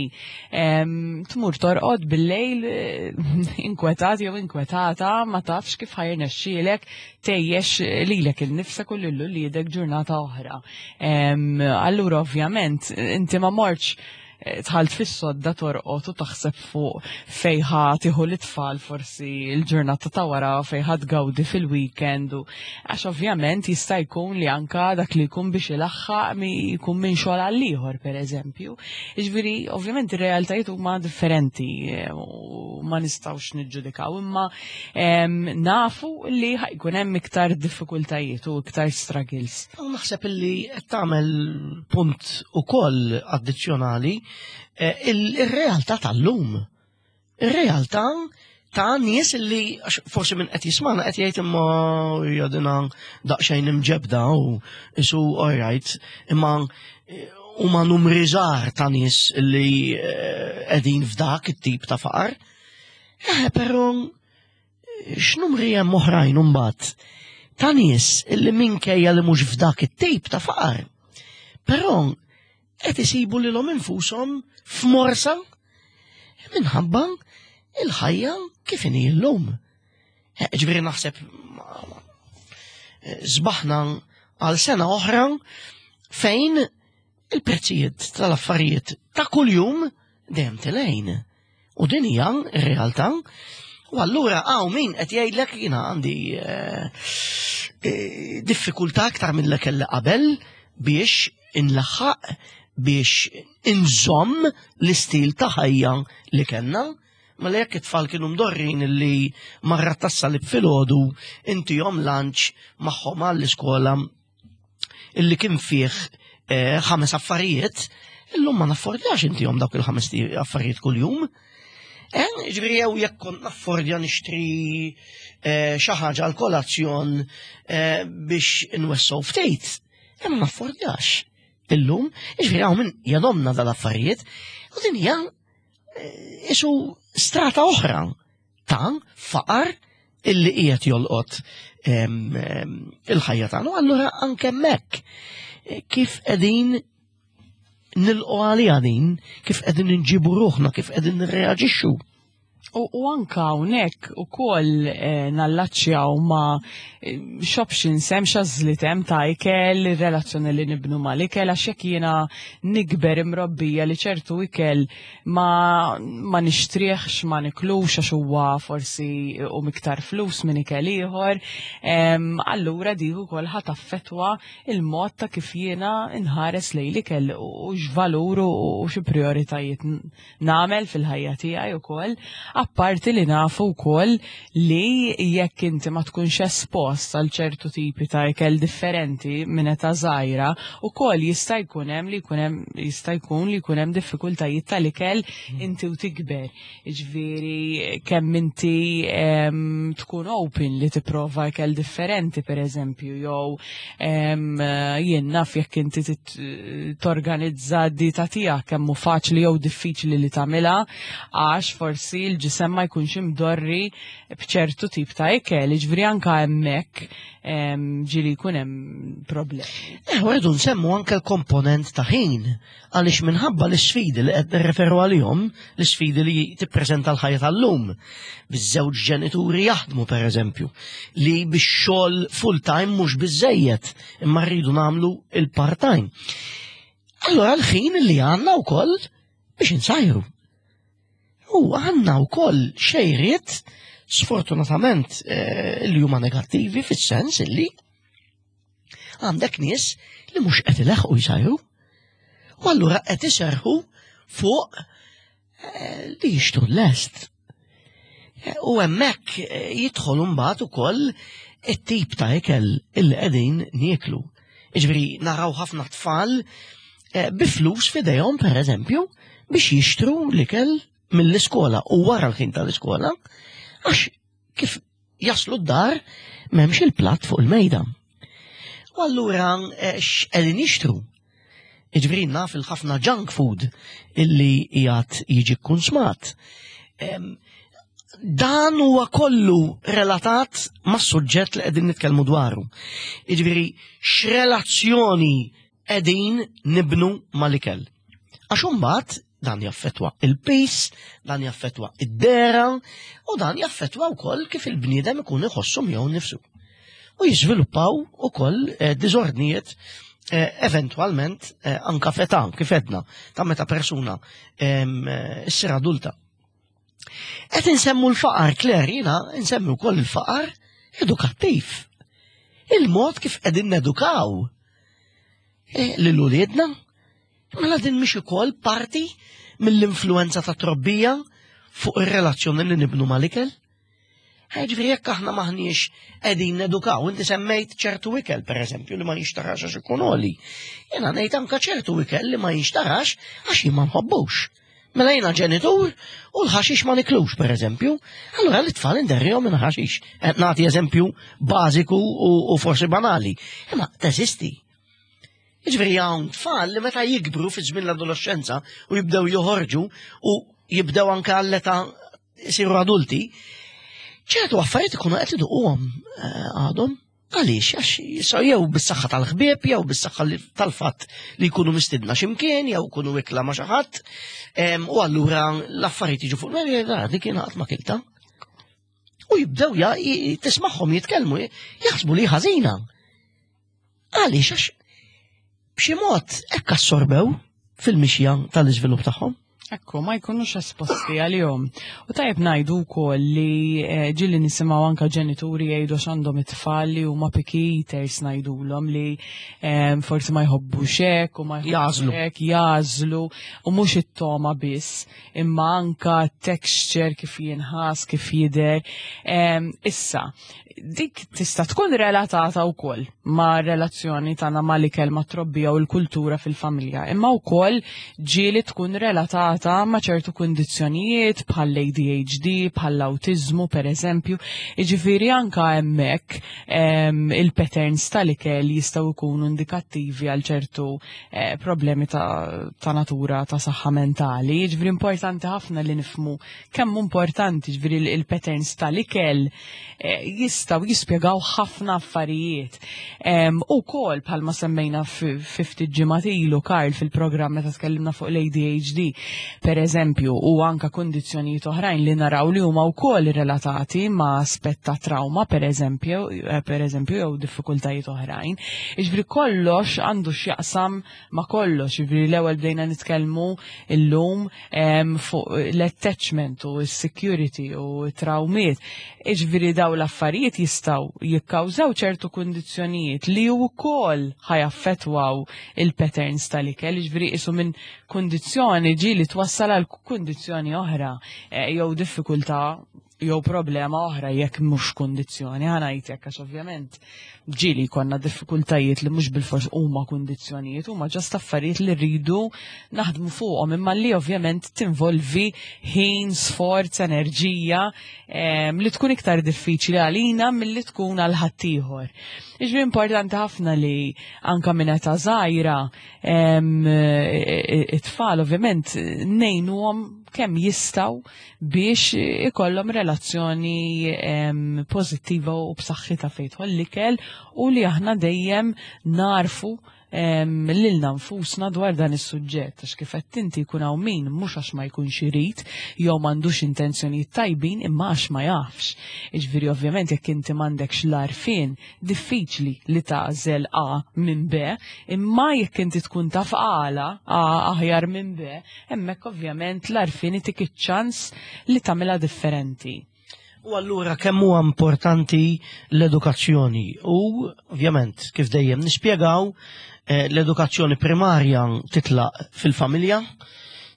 tmur torqod bil-lejl eh, inkwetat jew inkwetata ma tafx kif ħajrnexxielek tgħejjex lilek innifsek u lil uliedek ġurnata oħra. Allura ovvjament inti ma mortx eh, tħalt fis-sodda torqod u taħseb fuq fejħa tieħu l-itfal forsi l-ġurnata ta' wara fejħa tgawdi fil-weekend u għax ovvjament jista' jkun li anka dak li jkun biex ilaħħaq mi jkun minn xogħol għal ieħor pereżempju. Jiġifieri ovvjament ir-realtajiet huma differenti eh, u ma nistgħux niġġudikaw imma Nafu li ħajkun hemm iktar diffikultajiet u iktar struggles.
U naħseb li qed tagħmel punt ukoll addizzjonali eh, il-realtà tal-lum. Ir-realtà ta' nies li forsi minn qed jismana qed jgħid imma jadina daqsxejn imġebda u isu all right imma eh, huma numri żgħar ta' nies li eh, qegħdin f'dak it-tip ta' faqar. Eh, però x'numri hemm oħrajn imbagħad ta' nies illi minkejja li mhux f'dak it-tip ta' faqar. Però qed isibu lilhom infushom f'morsa minħabba il-ħajja kif inhi llum. Eh, ġifieri naħseb żbaħna għal sena oħra fejn Il-prezzijiet tal-affarijiet ta' kuljum dejjem tilejn. U din hija r-realtà. U allura hawn min qed jgħidlek jiena għandi eh, eh, diffikultà aktar minn li kelli qabel biex inlaħħaq biex inżomm l-istil ta' ħajja li kellna. Mela jekk it-tfal kienu mdorrin li marra tas-salib filgħodu intihom lunch magħhom għall-iskola illi kien fih eh, ħames affarijiet, illum ma naffordjax intihom dawk il-ħames affarijiet kuljum. Eh, ġifieri jew jekk kont naffordja nixtri eh, xi ħaġa għal kolazzjon biex nwessew ftit, ma naffordjax illum, ġifieri hawn min jadomna dal-affarijiet, u din hija isu strata oħra ta' faqar illi qiegħed jolqot il-ħajja tagħna. Allura anke hemmhekk eh, kif qegħdin nilqu għalija din, kif qegħdin inġibu ruħna, kif qegħdin nirreaġixxu.
U anka hawnhekk ukoll eh, nallaċċjaw ma' eh, x'options hemm x'għażliet hemm ta' ikel, ir-relazzjoni li nibnu mal-ikel għax jekk jiena nikber imrobbija li ċertu ikel ma, ma nixtrieħx, ma niklux għax huwa forsi u miktar flus minn ikel ieħor, allura dik ukoll ħa taffettwa il-mod ta' kif jiena nħares lejn l-ikel u x'valur u xi prioritajiet nagħmel fil-ħajja tiegħi wkoll, apparti li nafu wkoll li jekk inti ma tkunx espost għal ċertu tipi ta' ikel differenti minn età żgħira, ukoll jista' jkun hemm li jkun hemm jista' jkun li jkun hemm diffikultajiet tal-ikel inti u tikber. Jiġifieri kemm inti tkun open li tipprova ikel differenti pereżempju jew jien naf jekk inti torganizza d-dieta tiegħek kemm hu faċli jew diffiċli li tagħmilha għax forsi l-ġisem ma jkunx imdorri b'ċertu tip ta' ikel, jiġifieri anke hemmhekk ġieli jkun hemm problemi.
Eh, u rridu nsemmu anke l-komponent ta' ħin għaliex minħabba l-isfidi li qed nirreferu għalihom, l-isfidi li tippreżenta l-ħajja tal-lum, biż-żewġ ġenituri jaħdmu pereżempju, li bix-xogħol full-time mhux biżejjed, imma rridu nagħmlu il-part-time. Allora l-ħin li għandna wkoll biex insajru. U għandna wkoll xejriet sfortunatament eh, li huma negattivi fis-sens illi Għandek nies li mhux qed ileħqu jsajru. U allura qed iserħu fuq eh, li jixtru l-lest. Eh, u hemmhekk eh, jidħol imbagħad ukoll it-tip ta' ikel illi qegħdin nieklu. Jiġifieri naraw ħafna tfal bi flus f'idejhom pereżempju biex jixtru l-ikel mill-iskola u wara l-ħin tal-iskola għax kif jaslu d-dar m'hemmx il-platt fuq il-mejda. U allura eh, x'qegħdin jixtru? Iġbri naf il-ħafna junk food illi qiegħed jiġi kkunsmat. Dan huwa kollu relatat mas-suġġett li qegħdin nitkellmu dwaru. Jiġifieri x'relazzjoni qegħdin nibnu mal-ikel. Għax imbagħad dan jaffetwa il-pis, dan jaffetwa id-dera u dan jaffetwa wkoll kif il-bniedem ikun iħossu miegħu nnifsu. U jiżviluppaw ukoll eh, diżordnijiet eh, eventwalment eh, anka fetà, kif edna, ta' meta persuna issir adulta. Qed insemmu l-faqar, Claire, jiena nsemmi wkoll il-faqar edukattiv. Il-mod kif qegħdin nedukaw lil uliedna Mela din mhix ukoll parti mill-influenza ta' trobbija fuq ir-relazzjoni li nibnu mal-ikel? Ġifieri jekk aħna maħniex qegħdin nedukaw, inti semmejt ċertu ikel pereżempju li ma jinxtarax għax ikun għoli. Jiena ngħid anke ċertu ikel li ma jinxtarax għax jien ma nħobbux. Mela jiena ġenitur u l-ħaxix ma niklux pereżempju, allura l-itfal inderrihom minn ħaxix. Qed nagħti eżempju bażiku u forsi banali. Imma teżisti. Jiġifieri hawn tfal li meta jikbru fi żmien l-adolescenza u jibdew joħorġu u jibdew anke għall-età jsiru adulti, ċertu affarijiet ikunu qed iduquhom eh, għadhom. Għaliex, għax jew bis-saħħa tal-ħbieb, jew bis-saħħa tal-fatt li jkunu mistidna x'imkien, jew jkunu ikla ma' xi ħadd, u allura l-affarijiet jiġu fuq mela dik kien qatt ma kilta. U jibdew tismagħhom jitkellmu, jaħsbu li ħażina. Għaliex għax B'xi mod hekk assorbew fil-mixja tal-iżvilupp tagħhom.
Ekku, ma jkunux esposti għalihom. U tajjeb ngħidu wkoll li eh, ġieli nisimgħu anka ġenituri jgħidu għandhom it-tfal li huma picky eaters ngħidulhom li eh, forsi ma jħobbux hekk u ma
jagħżlu
hekk jagħżlu u mhux it-toma biss, imma anka texture kif jinħass, kif jidher. Eh, issa, dik tista' tkun relatata wkoll ma' relazzjoni tagħna mal-ikel ma' trobbija u l-kultura fil-familja, imma wkoll ġieli tkun relatata ma' ċertu kundizzjonijiet bħall-ADHD, bħall-awtiżmu pereżempju. Jiġifieri anka hemmhekk il-patterns tal-ikel jistgħu jkunu indikattivi għal ċertu eh, problemi ta', ta natura ta' saħħa mentali. Jiġifieri importanti ħafna li nifhmu kemm importanti ġifieri il-patterns tal-ikel eh, jistgħu jispjegaw ħafna affarijiet. U kol bħalma semmejna ftit ġimgħat ilu Karl fil-programm meta tkellimna fuq l-ADHD, per eżempju, u anka kundizzjonijiet oħrajn li naraw li huma wkoll relatati ma' aspett ta' trauma, per eżempju, eh, per eżempju, jew diffikultajiet oħrajn. Iġbri kollox għandu x'jaqsam ma' kollox, jiġifieri l-ewwel bdejna nitkellmu illum fuq l-attachment u s-security u t-trawmiet. Jiġifieri daw l-affarijiet jistgħu jikkawżaw ċertu kundizzjonijiet li wkoll ħajaffettwaw il-patterns tal-ikel, jiġifieri qisu minn kundizzjoni ġieli twassal għal kundizzjoni oħra eh, jew diffikultà jew problema oħra jekk mhux kundizzjoni, ħa ngħid hekk għax ovvjament ġieli jkollna diffikultajiet li mhux bilfors huma kundizzjonijiet, huma ġast affarijiet li rridu naħdmu fuqhom imma li ovvjament tinvolvi ħin, sforz, enerġija ehm, li tkun iktar diffiċli għalina milli tkun għal ħaddieħor. Iġbi importanti ħafna li anka minn età żgħira ehm, it-tfal ovvjament ngħinuhom kemm jistgħu biex ikollhom relazzjoni pożittiva u b'saħħitha fejn jidħol l-ikel u li aħna dejjem narfu lilna nfusna dwar dan is-suġġett għax kif qed inti jkun hawn min mhux għax ma jkunx irid jew m'għandux intenzjonijiet tajbin imma għax ma jafx. Jiġifieri ovvjament jekk inti m'għandekx l-għarfien diffiċli li tagħżel A minn B, imma jekk inti tkun taf għala A aħjar minn B, hemmhekk ovvjament l-għarfien itik iċ-ċans li tagħmilha differenti.
U allura kemm huwa importanti l-edukazzjoni u ovvjament kif dejjem nispjegaw eh, l-edukazzjoni primarja titlaq fil-familja,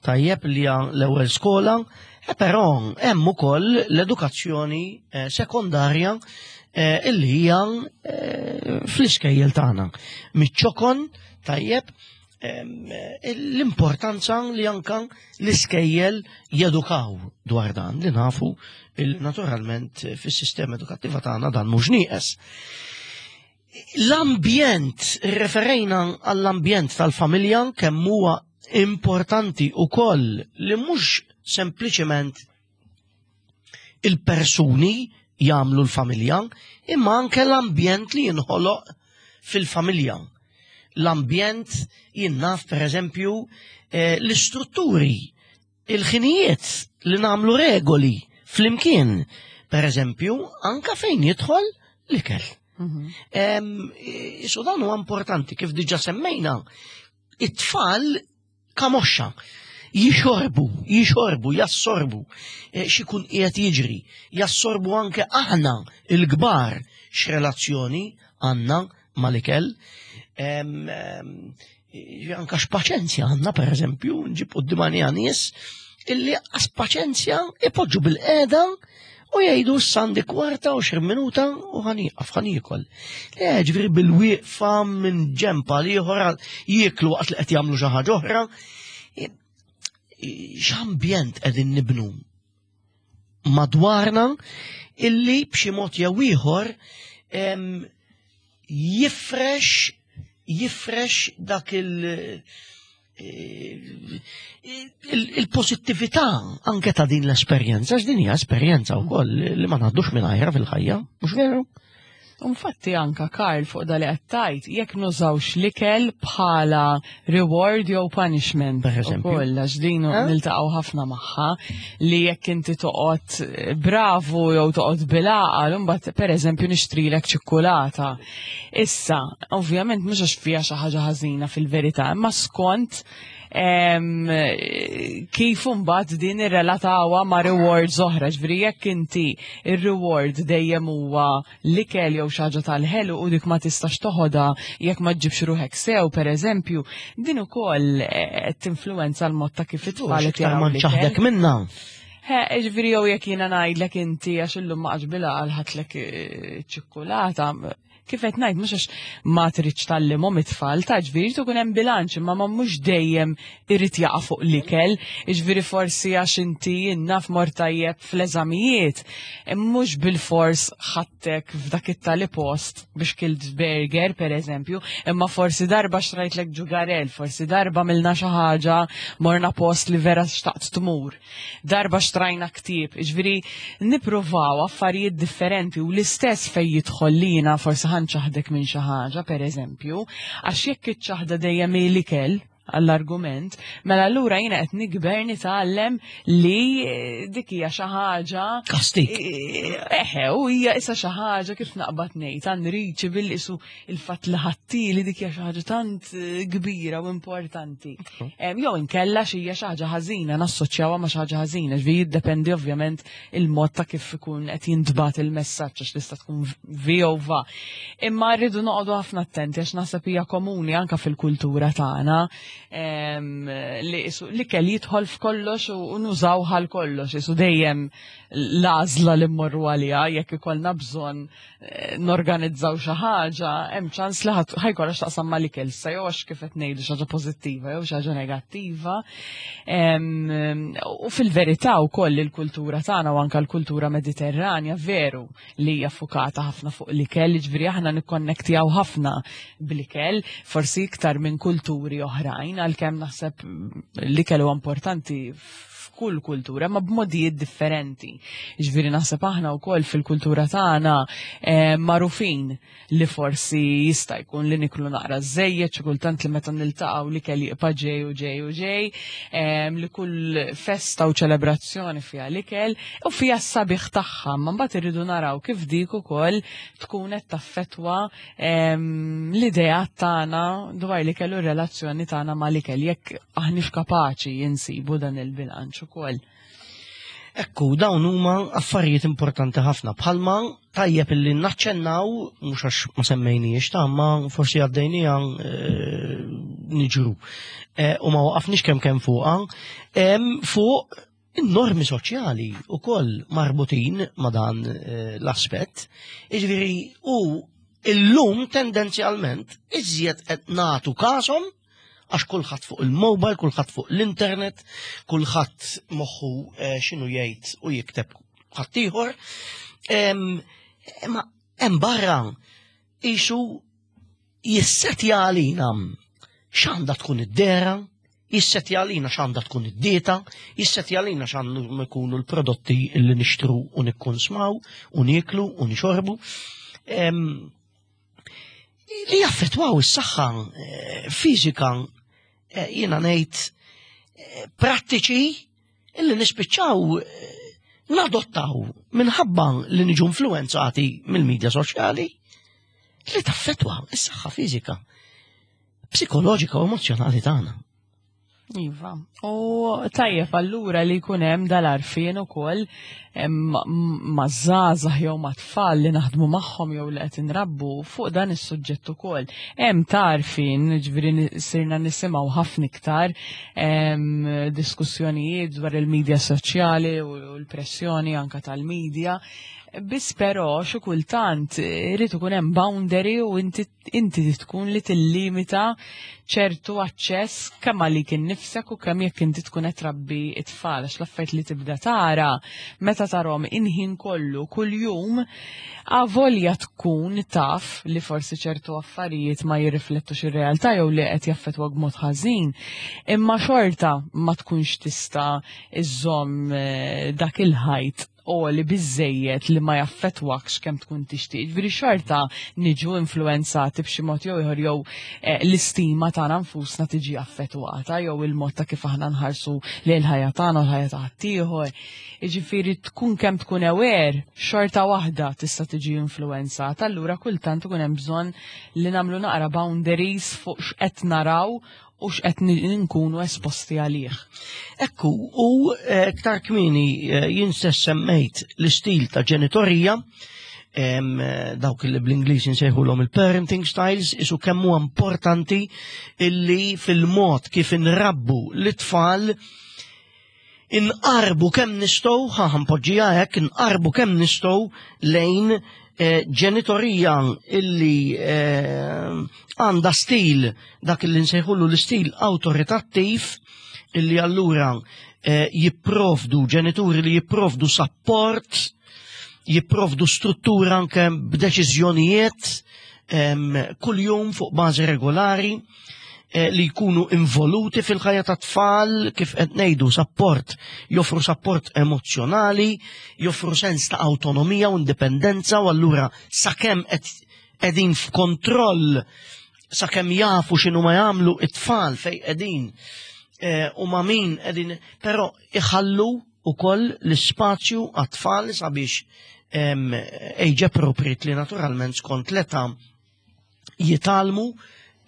tajjeb li hija l-ewwel skola, e però hemm ukoll l-edukazzjoni eh, sekondarja eh, illi hija fl-iskejjel tagħna. Miċ-ċokon tajjeb l-importanza li anka l-iskejjel jedukaw dwar dan li nafu il naturalment fis-sistema edukattiva tagħna dan mhux nieqes. L-ambjent, referejna għall-ambjent tal-familja kemm huwa importanti ukoll li mhux sempliċement il-persuni jagħmlu l-familja, imma anke l-ambjent li jinħoloq fil-familja. L-ambjent jinnaf per eżempju eh, l-istrutturi, il-ħinijiet li nagħmlu regoli flimkien, per eżempju, anka fejn jidħol l-ikel. Mhm. Isu dan huwa importanti kif diġa semmejna, it-tfal kamoxxa. Jixorbu, jixorbu, jassorbu eh, x'ikun qiegħed jiġri, jassorbu anke aħna il-kbar x'relazzjoni għandna mal-ikel. Anka x'paċenzja għandna pereżempju, nġib quddiem nies illi għas paċenzja ipoġġu bil-qeda u jgħidu s-sandi kwarta u xir minuta u ħaniqaf ħanikol. Le, ġifieri bil-wieqfa minn ġempa li ieħor jieklu waqt li qed jagħmlu xi ħaġa oħra. X'ambjent qegħdin nibnu madwarna illi b'xi mod jew ieħor jifrex jifrex dak il- il-pozittività anke ta' din l-esperjenza, għax din hija esperjenza wkoll li ma ngħaddux mingħajra fil-ħajja, mhux veru?
Infatti anka Karl fuq da li qed tgħid jekk nużawx l-ikel bħala reward jew punishment.
Per eżempju.
Ukoll għax din
Eh?
niltaqgħu ħafna magħha li jekk inti toqgħod eh, bravu jew toqgħod bil-għaqal imbagħad pereżempju nixtrilek ċikkulata. Issa, ovvjament mhux għax fiha xi ħaġa ħażina fil-verità, imma skont kif imbagħad din irrelatawha ma' rewards oħra, ġifieri jekk inti ir-reward dejjem huwa l-ikel jew xi ħaġa tal-ħelu u dik ma tistax toħodha jekk ma ġġibx ruħek sew pereżempju, din ukoll qed tinfluwenza l-mod ta' kif it-tfal qed
Iktar
jaraw
ma
l-ikel.
nċaħdek minna.
He, ġifieri jew jekk jiena ngħidlek inti għax illum ma qgħadx bil-għaqal ħadtlek ċikkulata, kif qed ngħid mhux għax ma tridx tgħallimhom it-tfal, ta' ġifieri jrid ikun hemm bilanċ, imma ma mhux dejjem irid jaqa' fuq l-ikel, ġifieri forsi għax inti naf mort tajjeb fl-eżamijiet, mhux bil-fors ħadtek f'dak it-tali post biex kilt burger pereżempju, imma forsi darba xtrajtlek ġugarel, forsi darba milna xi ħaġa morna post li vera xtaqt tmur, darba xtrajna ktieb, ġifieri nippruvaw affarijiet differenti u l-istess fej jidħol lina forsi ħanċaħdek minn xi ħaġa pereżempju, għax jekk iċ-ċaħda dejjem hi l-ikel għall-argument, mela allura jiena qed nikber nitgħallem li dik hija xi ħaġa
Kastik.
Eħe, u hija issa xi ħaġa kif naqbad ngħid unreachable isu il-fatt li ħattili dik hija xi ħaġa tant kbira u importanti. Jew inkella xi hija xi ħaġa ħażina, nassoċjawha ma' xi ħaġa ħażina, ġifieri jiddependi ovvjament il-mod ta' kif ikun qed jintbagħat il-messaġġ għax tista' tkun vi jew va. Imma rridu noqogħdu ħafna attenti għax naħseb hija komuni anke fil-kultura tagħna li l-ikel jidħol f'kollox u nużaw għal kollox, isu dejjem l-għażla li mmorru għaliha jekk ikollna bżonn norganizzaw xi ħaġa, hemm ċans li ħajkollha x'taqsam mal-ikel, sa jew għax kif qed ngħidu xi ħaġa pożittiva jew xi ħaġa negattiva. U fil-verità wkoll il-kultura tagħna u anke l-kultura Mediterranja veru li hija fukata ħafna fuq l-ikel, jiġifieri aħna nikkonnektjaw ħafna bl-ikel, forsi iktar minn kulturi oħrajn, għalkemm naħseb l-ikel huwa importanti f'kull kultura, ma b'modijiet differenti. Ġifieri naħseb aħna wkoll fil-kultura tagħna magħrufin li forsi jista' jkun li niklu naqra żejjed, xi kultant li meta niltaqgħu l-ikel jibqa' ġej u ġej u ġej, li kull festa u ċelebrazzjoni fiha l-ikel u fiha s-sabiħ tagħha, ma mbagħad irridu naraw kif dik ukoll tkun qed taffettwa l-idea tagħna dwar l-ikel u r-relazzjoni tagħna mal-ikel, jekk aħniex kapaċi insibu dan il-bilanċ ukoll.
Ekku, dawn huma affarijiet importanti ħafna. Bħalma tajjeb illi naċċennaw, mhux għax ma semmejniex ta' ma forsi għaddejnija niġru. U ma waqafniex kemm kemm fuqha, fuq in-normi soċjali wkoll marbutin ma' dan l-aspett. Jiġifieri u illum tendenzjalment iżjed qed nagħtu kashom għax kulħadd fuq il-mobile, kulħadd fuq l-internet, kulħadd moħħu x'inhu jgħid u jikteb ħaddieħor. Ma hemm barra isu jissetja għalina x'għandha tkun id-dera, jissetja għalina x'għandha tkun id-dieta, jissetja għalina x'għandhom ikunu l-prodotti li nixtru u nikkonsmaw u nieklu u nixorbu. Li jaffettwaw is-saħħa fiżika, jiena ngħid prattiċi illi nispiċċaw nadottaw minħabba li niġu influenzati mill-medja soċjali li taffettwa is-saħħa fiżika, psikoloġika u emozjonali tagħna.
Iva, u tajjeb allura li jkun hemm dal-għarfien ukoll ma' żgħażagħ jew ma' tfal li naħdmu magħhom jew li qed inrabbu fuq dan is-suġġett ukoll. Hemm tarfin, ġifieri sirna nisimgħu ħafna iktar diskussjonijiet dwar il-medja soċjali u l-pressjoni anka tal-medja. Biss però xi kultant irid ikun hemm boundary u inti tkun li tillimita ċertu aċċess kemm għalik innifsek u kemm jekk inti tkun qed trabbi it-tfal, għax l-affarijiet li tibda tara meta tarhom inħin kollu kuljum avolja tkun taf li forsi ċertu affarijiet ma jirriflettux ir-realtà jew li qed jaffettwak b'mod ħażin, imma xorta ma tkunx tista' iżżomm dak il-ħajt. għoli biżejjed li ma jaffettwakx kemm tkun tixtieq. Ġifieri xorta niġu influenzati b'xi mod jew ieħor jew eh, l-istima tagħna nfusna tiġi affettwata jew il-mod ta' kif aħna nħarsu lejn il-ħajja tagħna u l-ħajja ta' ħaddieħor. Jiġifieri tkun kemm tkun aware, xorta waħda tista' tiġi influenzata, allura kultant ikun hemm bżonn li nagħmlu naqra boundaries fuq x'qed naraw u x'qed nkunu esposti għalih.
Ekku, u eh, iktar kmieni eh, jien stess semmejt l-istil ta' ġenitorija, eh, dawk li bl-Ingliż insejħulhom il-parenting styles, isu kemm huwa importanti illi fil-mod kif inrabbu l-tfal inqarbu kemm nistgħu, ħa npoġġiha hekk, inqarbu kemm nistgħu lejn eh, ġenitorija illi eh, għandha stil dak illi nsejħulu l-istil awtoritattiv illi allura eh, jipprovdu ġenituri li jipprovdu sapport, jipprovdu struttura anke b'deċiżjonijiet kuljum fuq bażi regolari Eh, li jkunu involuti fil-ħajja ta' tfal kif qed ngħidu sapport, joffru sapport emozzjonali, joffru sens ta' awtonomija u indipendenza u allura sakemm qed qegħdin f'kontroll sakemm jafu x'inhu ma jagħmlu it-tfal fejn qegħdin eh, u ma' min qegħdin, però iħallu ukoll l-ispazju għat-tfal sabiex age appropriate li naturalment skont l-età jitgħallmu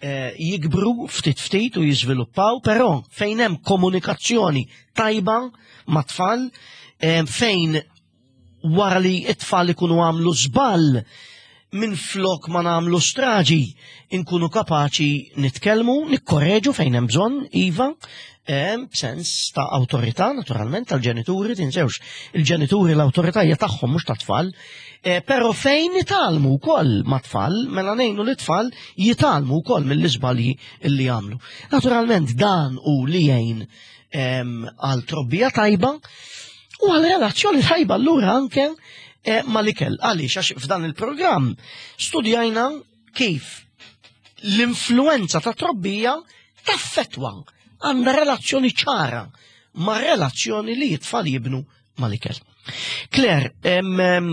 eh, jikbru ftit ftit u jiżviluppaw, però fejn hemm komunikazzjoni tajba ma' tfal, eh, fejn wara li it-tfal ikunu għamlu żball minn flok ma nagħmlu straġi inkunu kapaċi nitkellmu, nikkorreġu fejn hemm bżonn, iva, eh, b'sens ta' awtorità naturalment tal-ġenituri, tinsewx il-ġenituri l-awtorità hija tagħhom mhux tat-tfal, Eh, però fejn jitgħallmu wkoll ma' tfal, mela ngħinu li tfal jitgħallmu wkoll mill-iżbalji li jagħmlu. Naturalment dan u li jgħin għal trobbija tajba u għal relazzjoni tajba allura anke eh, mal-ikel. Għaliex għax f'dan il-programm studjajna kif l-influenza ta' trobbija taffetwa għandha relazzjoni ċara ma' relazzjoni li t-tfal jibnu mal-ikel. Claire,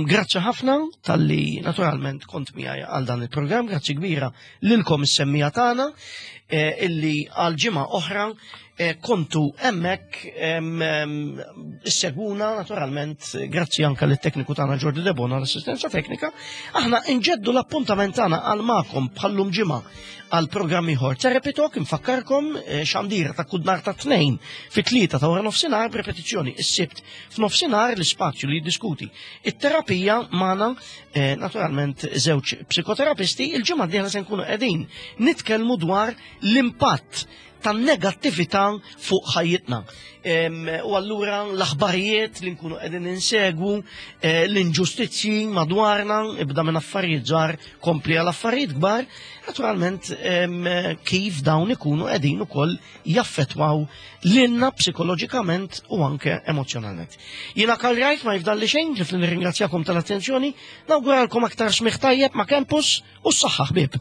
grazzi ħafna tal-li naturalment kont miegħi għal dan il-programm, grazzi kbira lilkom is-semmija tagħna eh, illi għal ġimgħa oħra eh, kontu hemmhekk issegwuna naturalment grazzi anke lit-tekniku tagħna Ġordi Debona l-assistenza teknika. Aħna nġeddu l-appuntament tagħna għal magħkom bħallum ġimgħa għal programm ieħor Therapy Talk infakkarkom eh, xandira ta' kull nhar ta' tnejn fit-tlieta ta' wara nofsinhar b'repetizzjoni is-sibt f'nofsinhar l-ispazju li jiddiskuti it-terapija magħna eh, naturalment żewġ psikoterapisti il-ġimgħa d-dieħla se nkunu qegħdin nitkellmu dwar l-impatt tan-negattività fuq ħajjitna. U allura l-aħbarijiet li nkunu qegħdin insegwu, eh, l-inġustizzji madwarna, ibda minn affarijiet żgħar kompli għal affarijiet kbar, naturalment kif dawn ikunu qegħdin ukoll jaffetwaw lilna psikoloġikament u anke emozjonalment. Jiena Karl Rajt ma jifdalli xejn li nirringrazzjakom tal-attenzjoni, nawguralkom aktar smigħ tajjeb ma' Campus u s-saħħa ħbieb.